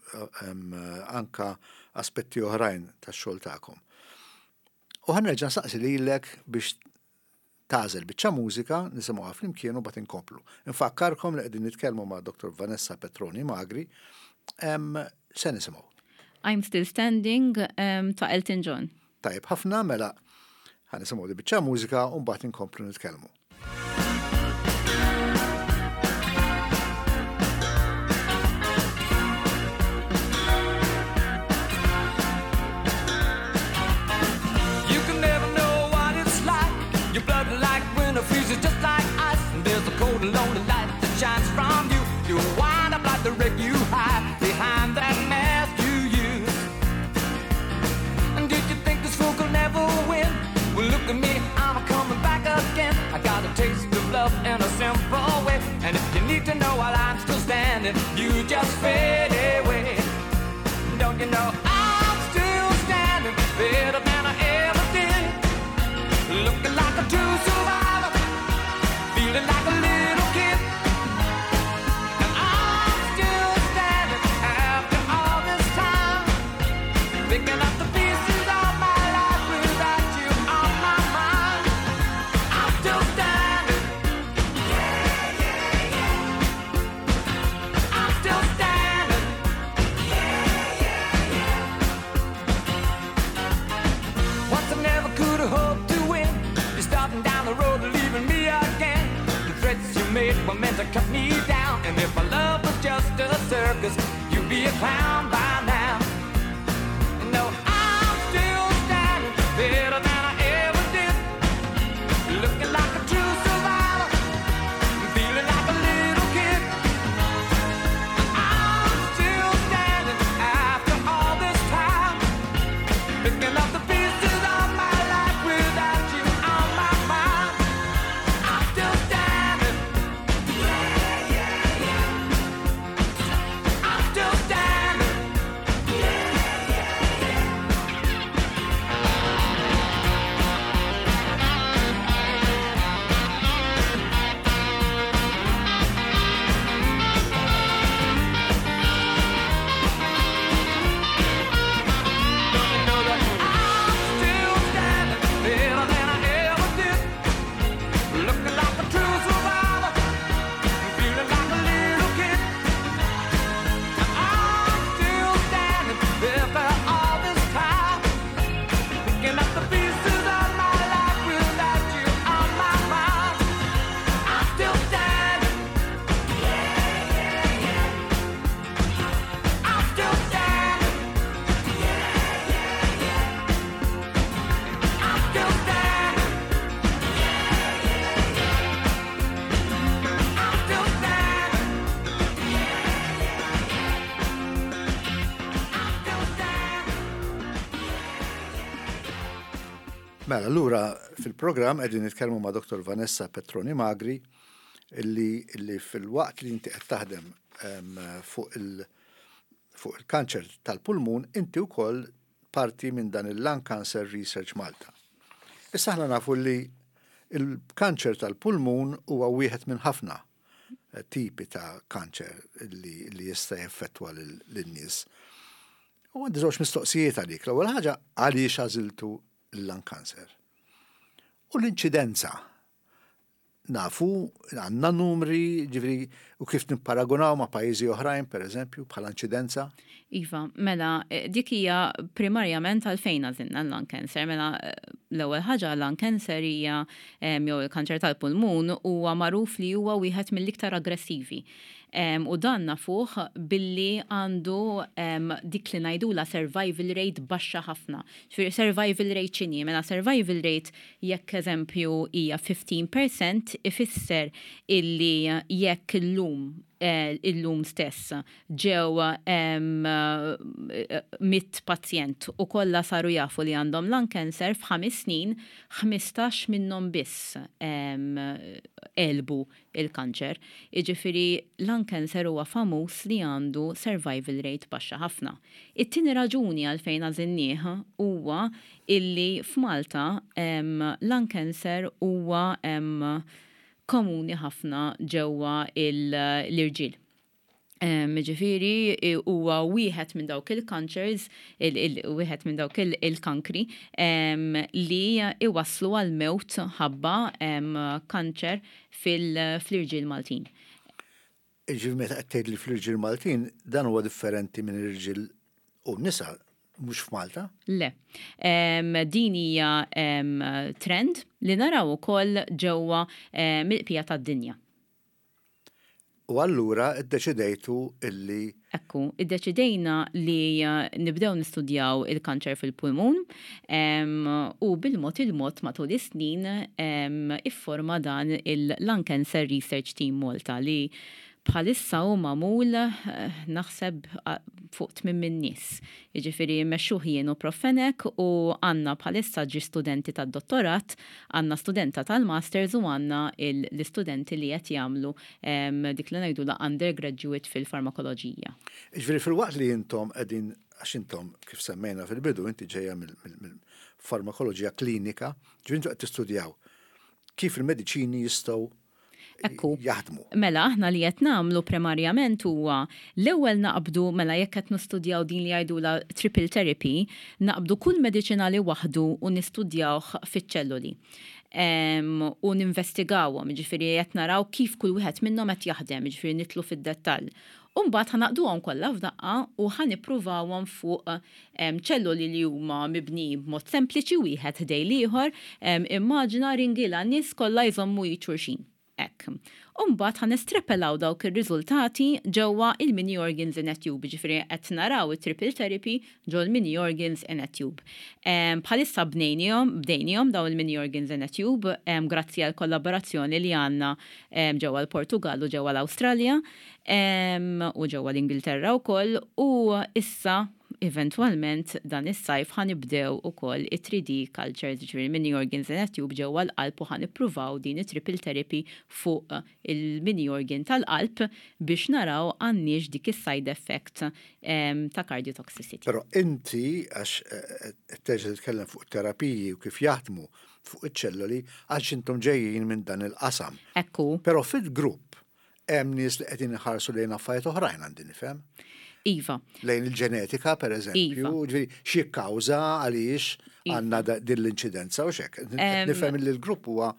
anka aspetti oħrajn tax-xogħol tagħkom. U ħa nerġa' nsaqsi lilek biex tagħżel biċċa mużika nisimgħuha flimkien u mbagħad inkomplu. Infakkarkom li qegħdin nitkellmu ma' Doktor Vanessa Petroni Magri. Se nisimgħu? I'm Still Standing ta' Elton John. Tajjeb ħafna, mela ħa nisimgħu di biċċa mużika u mbagħad inkomplu nitkellmu. Lonely light that shines from you. You wind up like the wreck you hide behind that mask you use. And did you think this fool could never win? Well, look at me, I'm coming back again. I got a taste of love in a simple way. And if you need to know while I'm still standing, you just fade away. Don't you know I'm still standing better than I ever did? Looking like a true survivor, feeling like a little kid. And I'm still standing after all this time, picking up the pieces of my life without you on my mind. I'm still standing. Yeah, yeah, yeah. I'm still standing. Yeah, yeah, yeah. Once I never could have hoped to win. You're starting down the road, leaving me again. The threats you made were meant to cut me down. And if my love was just a circus, you'd be a clown by now. No, I'm still standing better than I ever did. Looking like a true survivor, feeling like a little kid. I'm still standing after all this time, picking up the pieces of my life without you on my mind. I'm still standing. Yeah, yeah, yeah. I'm still standing. Yeah, yeah, yeah. Don't you know that I'm still standing better than I ever did? Looking like a true survivor, feeling like a little kid. I'm still standing after all this time, picking up the pieces of my life without you on my mind. I'm still standing. Yeah, yeah, yeah. I'm still standing. Yeah, yeah, yeah. I'm still standing. Yeah, yeah, yeah. I'm still standing. Yeah, yeah, yeah. I'm still standing. Mela, allura fil-programm qegħdin nitkellmu ma' Doktor Vanessa Petroni Magri illi, illi fil-waqt li inti qed taħdem em, fuq il- fuq il-kanċer tal-pulmun, inti wkoll parti minn dan il-Lung Cancer Research Malta. Issa aħna nafu li il-kanċer tal-pulmun huwa wieħed minn ħafna eh, tipi ta' kanċer li, li jista' jeffettwa lin-nies. U għandi żewġ mistoqsijiet għalik. L-ewwel ħaġa, għaliex għażiltu l-lung cancer? U l-inċidenza. Nafu, għandna numri, ġifieri, u kif nipparagunaw ma' pajjiżi oħrajn, per eżempju, bħala inċidenza? Iva, mela, eh, dik hija primarjament għalfejn għażilna l-lung cancer. Mela, eh, l-ewwel ħaġa, lung cancer hija jew il-kanċer tal-pulmun huwa magħruf li huwa wieħed mill-iktar aggressivi. U dan nafuh billi għandu dik li ngħidula survival rate baxxa ħafna. Ġifieri survival rate x'inhi? Mela, survival rate jekk eżempju hija ħmistax fil-mija, ifisser illi jekk illum eh, illum stess ġew mitt pazjent u kollha saru jafu li għandhom lung cancer, f'ħames snin ħmistax minnhom biss għelbu il-kanċer. Jiġifieri lung cancer huwa famuż li għandu survival rate baxxa ħafna. It-tieni raġuni għalfejn għażilnieh huwa illi f'Malta lung cancer huwa komuni ħafna ġewwa l-irġiel. Ġifieri, huwa wieħed minn dawk il-cancers, wieħed minn dawk il-kankri li iwasslu għal mewt ħabba kanċer fil-irġiel Maltin. Ġifieri meta qed tgħid li fl-irġiel Maltin, dan huwa differenti minn irġiel u nisa mhux f'Malta? Le. Din hija trend li naraw ukoll ġewwa mill-bqija tad-dinja. U allura iddeċidejtu illi Ekku, iddeċidejna li nibdew nistudjaw il-kanċer fil-pulmun u bil-mod il-mod matul is-snin ifforma dan il-Lung Cancer Research Team Malta li bħalissa hu magħmul eh, naħseb fuq tmien minn nies. Jiġifieri mmexxuh jien u Prof Fenech u għandna bħalissa ġi studenti tad-dottorat, għandna studenta tal-masters u għandna l-istudenti li qed jagħmlu dik li ngħidu la undergraduate fil-farmakoloġija. Ġifieri fil-waqt li intom qegħdin, għax intom kif semmejna fil-bidu inti ġejja mill-farmakoloġija klinika, ġifieri intom qed tistudjaw kif il-mediċini jistgħu Ekku. jaħdmu. Mela, aħna li qed nagħmlu primarjament huwa l-ewwel naqbdu, mela jekk qed nistudjaw din li jgħidula triple therapy, naqbdu kull mediċinali waħdu u nistudjawh fiċ-ċelluli. Um, u ninvestigawhom, ġifieri qed naraw kif kull wieħed minnhom qed jaħdem, ġifieri nidħlu fid-dettall. U mbagħad ħa naqduhom kollha f'daqqa u ħa nippruvawhom fuq ċelluli li huma mibni b'mod sempliċi wieħed ħdejn l-ieħor, immaġina ringila nies kollha jżommu xulxin. Hekk. Umbagħad ħa nestrapolaw dawk ir-riżultati ġewwa il-mini organs in a tube, ġifieri qed naraw it-triple therapy ġol mini organs in a tube. Bħalissa bnejnihom, bdejnihom daw il-mini organs in a tube grazzi għal kollaborazzjoni li għandna ġewwa l-Portugal u ġewwa l-Awstralja u ġewwa l-Ingilterra wkoll, u issa eventualment dan is-sajf ħa nibdew ukoll it-three D cultures, ġifieri mini organs in a tube ġewwa l-qalb, u ħa nippruvaw din it-triple therapy fuq il-mini organ tal-qalb biex naraw għandniex dik is-side effect ta' cardiotoxicity. Però inti, għax eh, eh, terġa' titkellem fuq terapiji u kif jaħdmu fuq iċ-ċelloli, għax intom ġejjin minn dan il-qasam. Ekku. Però fil-grupp hemm nies li qegħdin iħarsu lejn affarijiet oħrajn, għandi nifhem. Iva. Lejn il-ġenetika, per eżempju, Iva. ġifieri xi kawża għaliex Iva. għandna da- din l-inċidenza u xek. Em, Nifhem li l-grupp huwa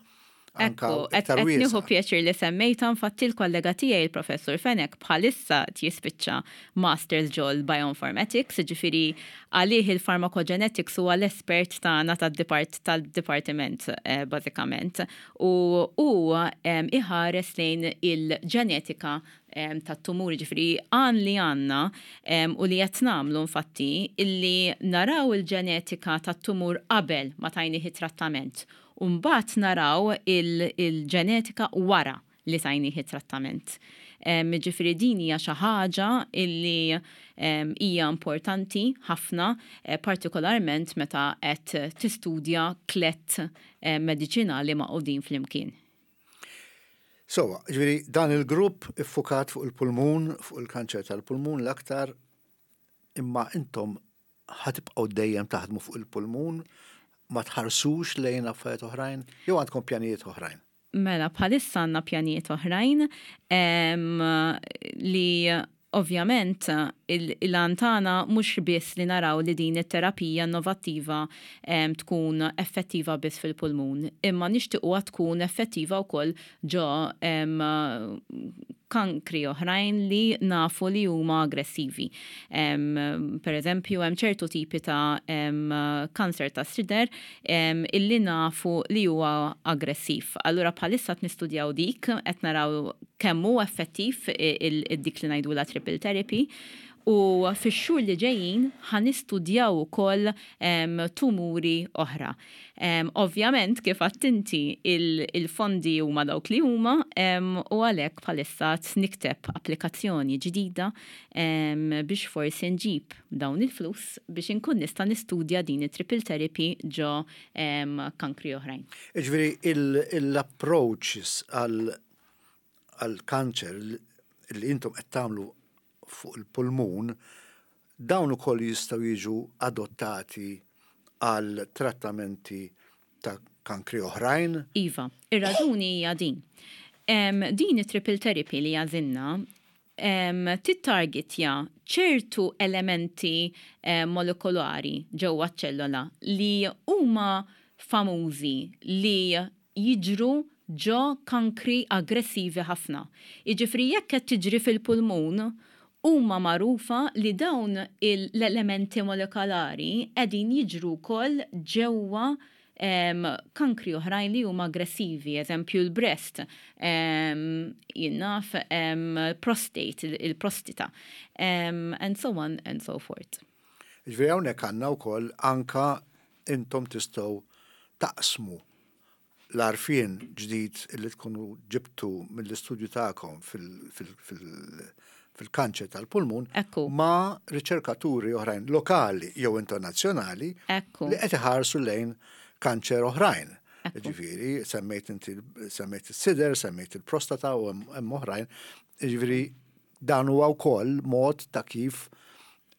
anka Ekku, qed iktar qed nieħu wiesa'. pjaċir li semmejta, infatti l-kollega tiegħi, il-Professur Fenech, bħalissa jispiċċa Masters ġol Bioinformatics, ġifieri għalih il-pharmacogenetics huwa l-espert tagħna tad-depart tal-dipartiment eh, bażikament. U hu em, iħares lejn il-ġenetika em, tat-tumuri, ġifieri għan li għandna em, u li qed nagħmlu infatti illi naraw il-ġenetika tat-tumur qabel ma tajnih it-trattament. U mbagħad naraw il-ġenetika wara li tajnih it-trattament. Em, Ġifieri din hija xi ħaġa illi em, hija importanti ħafna, eh, partikolarment meta qed tistudja tliet eh, mediċinali magħqudin flimkien. So, ġifieri dan il-grupp iffukat fuq il-pulmun, fuq il-kanċer tal-pulmun l-aktar, imma intom ħa tibqgħu dejjem taħdmu fuq il-pulmun, ma tħarsux lejn affarijiet oħrajn, jew għandkom pjanijiet oħrajn? Mela, bħalissa għandna pjanijiet oħrajn em, li Ovvjament, l-għan tagħna mhux biss li naraw li din it-terapija innovattiva tkun effettiva biss fil-pulmun, imma nixtiequha tkun effettiva wkoll ġo kankri oħrajn li nafu li huma aggressivi. Per eżempju, hemm ċertu tipi ta' kanser ta' sider illi nafu li huwa aggressiv. Allura bħalissa qed nistudjaw dik, qed naraw kemm hu effettiv id-dik li ngħidula triple therapy. U fix-xhur li ġejjin ħa nistudjaw ukoll tumuri oħra. Ovvjament, kif għedt inti, il-fondi huma dawk li huma u għalhekk bħalissa nikteb applikazzjoni ġdida biex forsi nġib dawn il-flus biex inkun nista' nistudja din it-triple therapy ġo kankri oħrajn. Ġifieri l-approaches għal kanċer li intom qed tagħmlu fuq il-pulmun, dawn ukoll jistgħu jiġu adottati għal trattamenti ta' kankri oħrajn? Iva, ir-raġuni hija din. Din it-triple therapy li għażilna tittargetja ċertu elementi molekolari ġewwa ċellola li huma famużi li jiġru ġo kankri aggressivi ħafna. Jiġifieri jekk qed tiġri fil-pulmun, huma magħrufa li dawn l-elementi molekolari qegħdin jiġru wkoll ġewwa kankri oħrajn li huma aggressivi, eżempju l-breast, jien naf prostate, il-prostata, and so on and so forth. Ġifieri hawnhekk għandna wkoll anka intom tistgħu taqsmu l-għarfien ġdid li tkunu ġibtu mill-istudju tagħkom fil-kanċer tal-pulmun Ekku. ma' riċerkaturi oħrajn lokali jew internazzjonali Ekku. li qed iħarsu lejn kanċer oħrajn. Ekku. Ġifieri, semmejt inti semmejt is-sider, semmejt il-prostata u hemm oħrajn. Ġifieri dan huwa wkoll mod ta' kif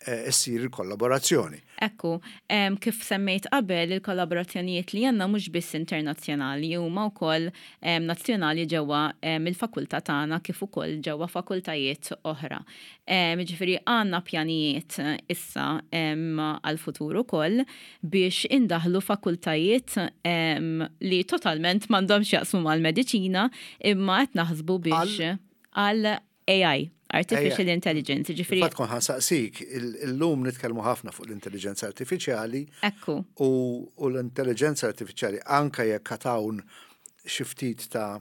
eh, issir il-kollaborazzjoni. Ekku, em, kif semmejt qabel, il-kollaborazzjonijiet li għandna mhux biss internazzjonali, huma wkoll em, nazzjonali ġewwa em, il-fakultà tagħna kif ukoll ġewwa fakultajiet oħra. Em, Ġifieri għandna pjanijiet issa em, għal-futur ukoll biex indaħlu fakultajiet em, li totalment m'għandhomx jaqsmu mal-mediċina, imma qed naħsbu biex għal A I, Artificial A I. Intelligence, ġifieri Fatt kont ħa nsaqsik, illum nitkellmu ħafna fuq l-intelligenza artifiċjali Ekku. u, u l-intelligenza artifiċjali, anka jekk hawn xi ftit ta'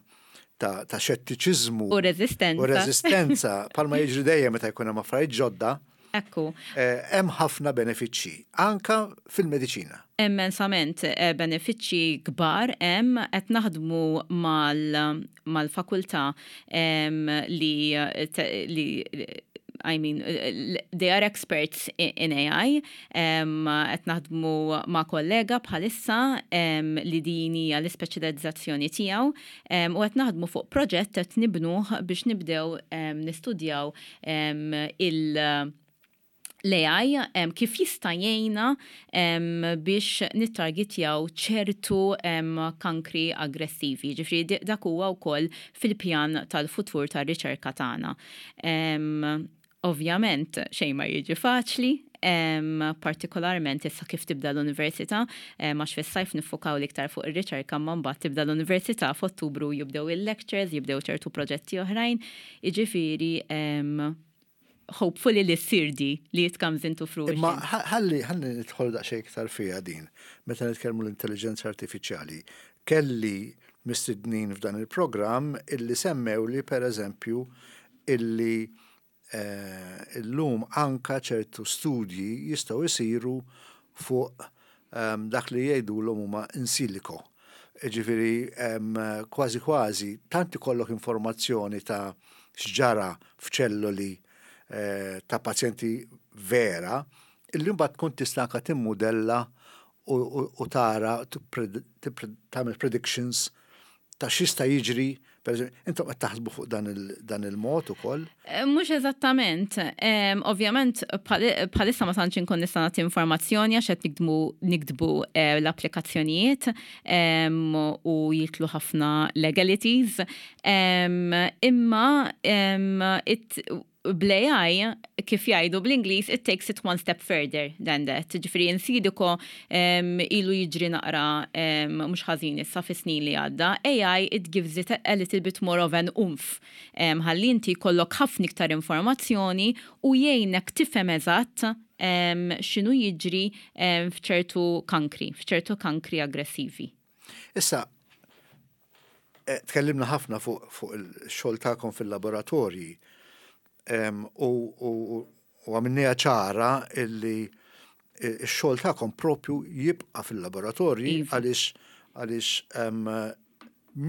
ta', ta' xettiċiżmu U reżistenza. U reżistenza, palma jiġri dejjem meta jkun hemm affarijiet ġodda, Ekku. eh, hemm ħafna benefiċċji anka fil-mediċina. Immensament eh, benefiċċji kbar hemm. Qed naħdmu mal mal-fakultà em, li te- li I mean, they are experts in A I. Um, qed naħdmu ma' kollega bħalissa um, li din hija l-ispeċjalizzazzjoni tiegħu um, u qed naħdmu fuq proġett qed nibnuh biex nibdew um, nistudjaw um, il- l-A I um, kif jista' jgħinna um, biex nittargetjaw ċertu um, kankri aggressivi. Ġifieri dak huwa wkoll fil-pjan tal-futur tar-riċerka tagħna. Um, ovvjament xejn ma jiġi faċli, um, partikolarment issa kif tibda l-università, um, għax fis-sajf niffukaw l-iktar fuq ir-riċerka, ma mbagħad tibda l-università f'Ottubru, jibdew il-lectures, jibdew ċertu proġetti oħrajn, jiġifieri um, hopefully li ssir di li it comes into fruition. Imma ħalli ħalli nidħol daqsxejn iktar fiha din, meta nitkellmu l-intelligenza artifiċjali. Kelli mistednin f'dan il-programm illi semmew li, per eżempju, illi eh, illum anka ċertu studji jistgħu jsiru fuq um, dak li jgħidulhom huma in silico. Ġifieri um, kważi kważi tant ikollok informazzjoni ta' x'ġara f'ċelloli eh, ta' pazjenti vera, illi mbagħad tkun tista' anka timmudella u, u, u tara tagħmel predictions ta' x'jista' jiġri. Per eżempju, intom qed taħsbu fuq dan il- dan il-mod ukoll? Eh, Mhux eżattament. Um, ovvjament, bħalissa ma tantx inkun nista' nagħti informazzjoni għax qed nikdmu niktbu eh, l-applikazzjonijiet um, u jidħlu ħafna legalities. Um, imma um, it, Bl-A I, kif jgħidu bl-Ingliż, it takes it one step further than that. Ġifieri in silico um, ilu jiġri naqra um, mhux ħażin issa fis-snin li għadda. A I, it gives it a, a little bit more of an oomph. Um, ħalli inti jkollok ħafna iktar informazzjoni u jgħinek tifhem eżatt um, x'inhu jiġri um, f'ċertu kankri, f'ċertu kankri aggressivi. Issa, eh, tkellimna ħafna fuq fu il-xogħol tagħkom fil-laboratorji em, u, u, u għamilniha ċara illi ix-xogħol tagħkom propju jibqa' fil-laboratorji Iva. għaliex għaliex em,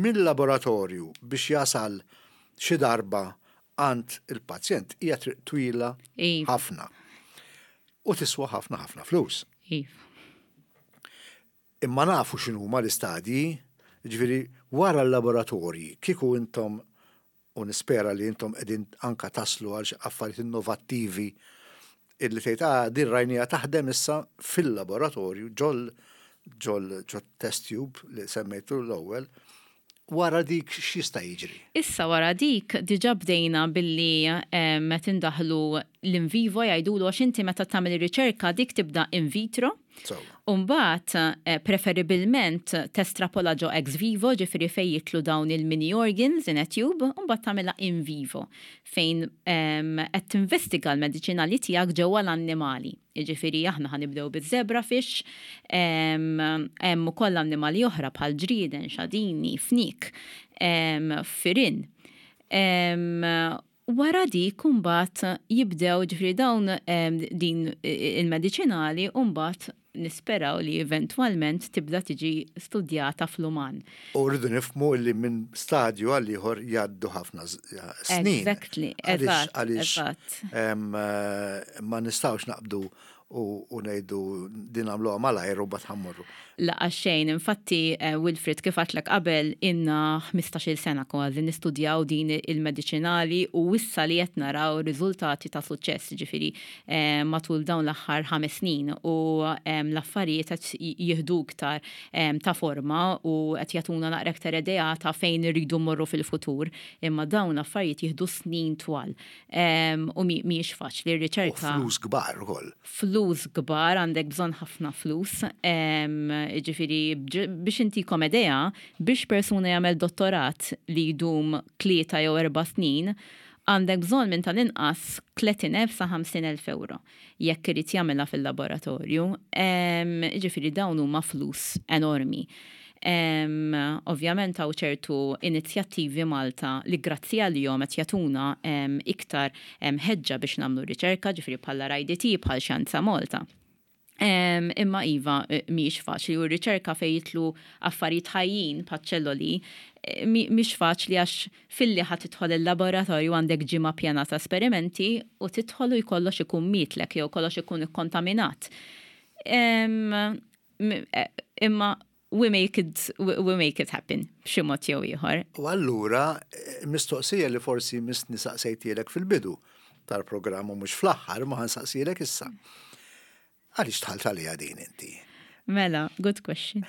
mill-laboratorju biex jasal xi darba għand il-pazjent hija triq twila Iva. ħafna. U tiswa ħafna ħafna flus. Iva. Imma nafu x'inhuma l-istadji, ġifieri wara l-laboratorji, kieku intom, u nispera li intom qegħdin anka taslu għal xi affarijiet innovattivi illi tgħid, "Ah, din rajnieha taħdem issa fil-laboratorju ġol ġol ġol test tube li semmejtu l-ewwel, wara dik x'jista' jiġri?" Issa wara dik diġa bdejna billi meta indaħlu l-in vivo jgħidulu, għax inti meta tagħmel ir-riċerka dik tibda in vitro. So, Umbagħad, eh, preferibilment testrapola ġo ex vivo, ġifieri fejn jidħlu dawn il-mini organs in a tube, umbagħad tagħmilha in vivo, fejn qed tinvestiga l-mediċinali tiegħek ġewwa l-annimali. Ġifieri aħna ħa nibdew biż-zebrafish, hemm ukoll annimali oħra bħal ġrieden, xadini, fnik, firin. Wara dik imbagħad jibdew, ġifieri dawn din il-mediċinali mbagħad nisperaw li eventwalment tibda tiġi studjata fl-uman. U rridu nifhmu li minn stadju għal ieħor jgħaddu ħafna snin. Exactly, eżatt. Għaliex ma nistgħux naqbdu u ngħidu din għamluha malajr u mbagħad ħa mmorru. La xejn, infatti, eh, Wilfred, kif għedtlek qabel, ilna ħmistax-il sena kważi nistudjaw din il-mediċinali u issa li qed naraw riżultati ta' suċċess, ġifieri eh, matul dawn l-aħħar ħames snin u l-affarijiet qed jieħdu iktar ta' forma u qed jagħtuna naqra iktar idea ta' fejn irridu mmorru fil-futur, imma dawn l-affarijiet jieħdu snin twal u mhijiex faċli r-riċerka. Flus kbar ukoll. Flus kbar, għandek bżonn ħafna flus. Ġifieri, biex intikom idea, biex persuna jagħmel dottorat li jdum tlieta jew erba' snin, għandek bżonn minn tal-inqas tletin elf sa ħamsin elf euro jekk irid jagħmilha fil-laboratorju. Ġifieri dawn huma flus enormi. Um, ovvjament hawn ċertu inizjattivi Malta li grazzi għalihom qed jagħtuna um, iktar um, ħeġġa biex nagħmlu riċerka, ġifieri bħala R I D T, bħal Xjenza Malta. Um, imma iva, mhix faċli u r-riċerka fejn jidħlu affarijiet ħajjin bħaċ-ċelloli mhix faċli, għax filli ħa tidħol il-laboratorju għandek ġimgħa pjana ta' esperimenti u tidħol u jkollox ikun mietlek jew kollox ikun ikkontaminat. Um, imma we make it, we make it happen b'xi mod jew ieħor. U allura mistoqsija li forsi missni saqsejtielek fil-bidu tal-programm u mhux fl-aħħar, ma ħa nsaqsilek issa. Għaliex dħalt għaliha din inti? Mela, good question.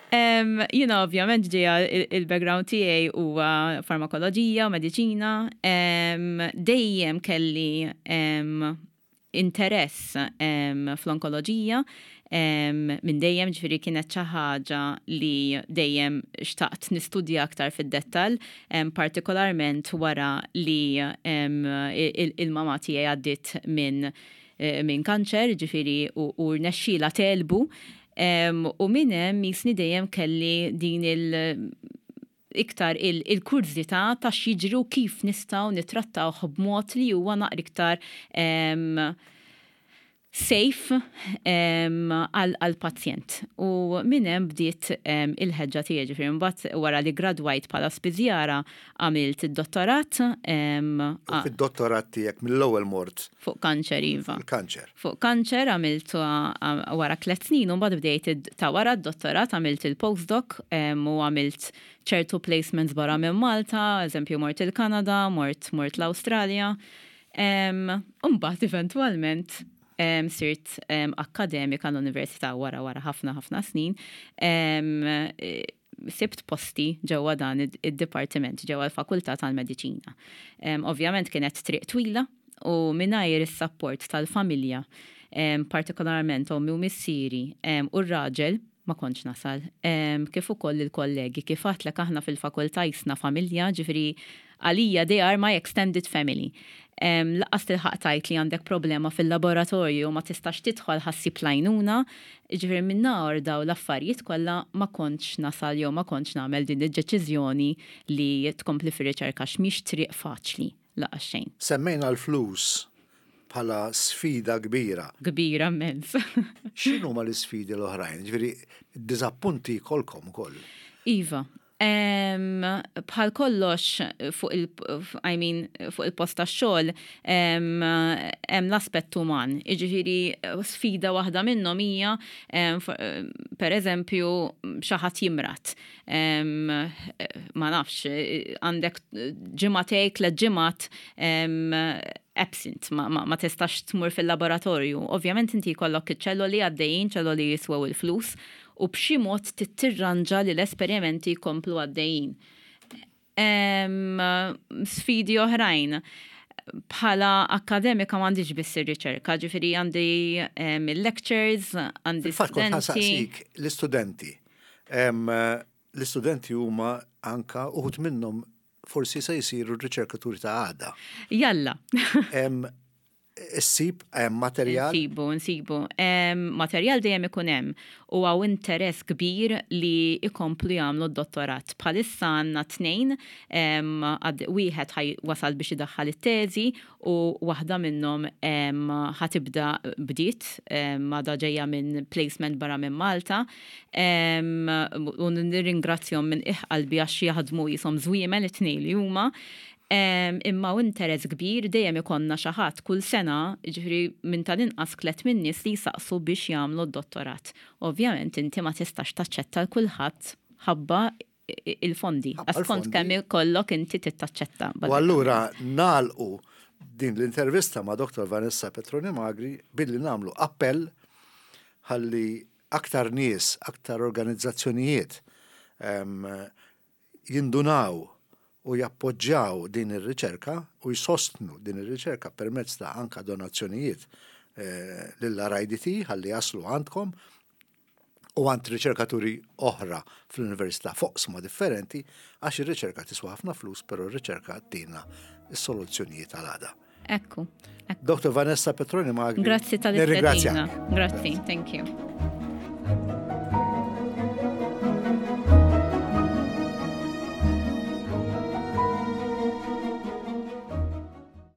Um, Jiena ovvjament ġeja il-background tiegħi huwa farmakoloġija, mediċina. Um, dejjem kelli um, interess um, fl-onkoloġija um, minn dejjem, ġifieri kienet xi ħaġa li dejjem xtaqt nistudja aktar fid-dettall, um, partikolarment wara li um, il-mama tiegħi għaddit minn eh, min kanċer, ġifieri u, u rnexxielha tegħlbu. Um, u minn hemm jisni dejjem kelli din il- iktar il-kurżità ta' x'jiġri, kif nistgħu nitrattaw b'mod li huwa naqra iktar um, safe għal-pazjent. U minn hemm bdiet il-ħeġġa tiegħi, ġifieri mbagħad wara li gradwajt bħala spiżjara għamilt id-dottorat. U fid-dottorat tiegħek mill-ewwel mort Fuq kanċer, iva. Il-kanċer. Fuq kanċer għamilt wara tliet snin u mbagħad bdejt ta' wara d-dottorat għamilt il-postdoc u għamilt ċertu placements barra minn Malta, eżempju mort il-Kanada, mort mort l-Awstralja. Mbagħad eventwalment um, sirt um, akademika l-università wara wara ħafna ħafna snin. Um, sibt posti ġewwa dan id-dipartiment, ġewwa l-Fakultà tal-Mediċina. Ovvjament kienet triq twila u mingħajr is-support tal-familja, partikolarment ommi u missieri u r-raġel, ma kontx nasal. Kif ukoll il-kollegi, kif għedtlek, aħna fil-fakultà qisna familja, ġifieri għalija they are my extended family. Lanqas tilħaq tgħid li għandek problema fil-laboratorju u ma tistax tidħol ħa ssib l-għajnuna, ġifieri mingħajr daw l-affarijiet kollha ma kontx nasal jew ma kontx nagħmel din id-deċiżjoni li tkompli fir-riċerka, mhix triq faċli lanqas xejn. Semmejna l-flus bħala sfida kbira. Kbira immens. X'inhuma l-isfidi l-oħrajn? Ġifieri, diżappunti jkollkom ukoll. Iva, bħal kollox fuq il I mean, fuq il-post tax-xogħol hemm l-aspett uman. Jiġifieri sfida waħda minnhom hija, per eżempju, xi ħadd jimrad. Ma nafx, għandek ġimagħtejn, tliet ġimgħat absent, ma, ma, ma tistax tmur fil-laboratorju. Ovvjament inti jkollok iċ-ċelloli għaddejjin, ċelloli jiswew il-flus, u b'xi mod tirranġa li l-esperimenti jkomplu għaddejjin. Sfidi oħrajn. Bħala akademika m'għandix biss ir-riċerka, ġifieri għandi il-lectures, għandi studenti. L-istudenti. L-istudenti huma anka uħud minnhom forsi se jisiru r-riċerkaturi ta' għada. Jalla. Issib materjal? Nsibu, nsibu. Materjal dejjem ikun hemm u hawn interess kbir li ikomplu jagħmlu d-dottorat. Bħalissa għandna tnejn, wieħed wasal biex idaħħal it-teżi u waħda minnhom ħa tibda, bdiet, għadha ġejja minn placement barra minn Malta. U nirringrazzjahom minn qalbi għax jaħdmu qishom żwiemel it-tnejn li huma. Imma u interess kbir, dejjem ikollna xi ħadd kull sena, ġifieri minn tal-inqas tliet minn nies li jsaqsu biex jagħmlu d-dottorat. Ovvjament inti ma tistax taċċetta l kulħadd ħabba il-fondi. Skont kemm ikollok inti tittaċċetta. U allura nagħlqu din l-intervista ma' Dottor Vanessa Petroni Magri billi nagħmlu appell ħalli aktar nies, aktar organizzazzjonijiet jindunaw u jappoġġjaw din ir-riċerka u jsostnu din ir-riċerka permezz ta' anka donazzjonijiet eh, lill-R I D T ħalli jaslu għandkom u għand riċerkaturi oħra fl-università f'oqsma differenti, għax ir-riċerka tiswa ħafna flus, però r-riċerka tina s-soluzzjonijiet għal għada. Ekku. Dottor Vanessa Petroni Magri. Grazzi tal. Grazzi, thank you.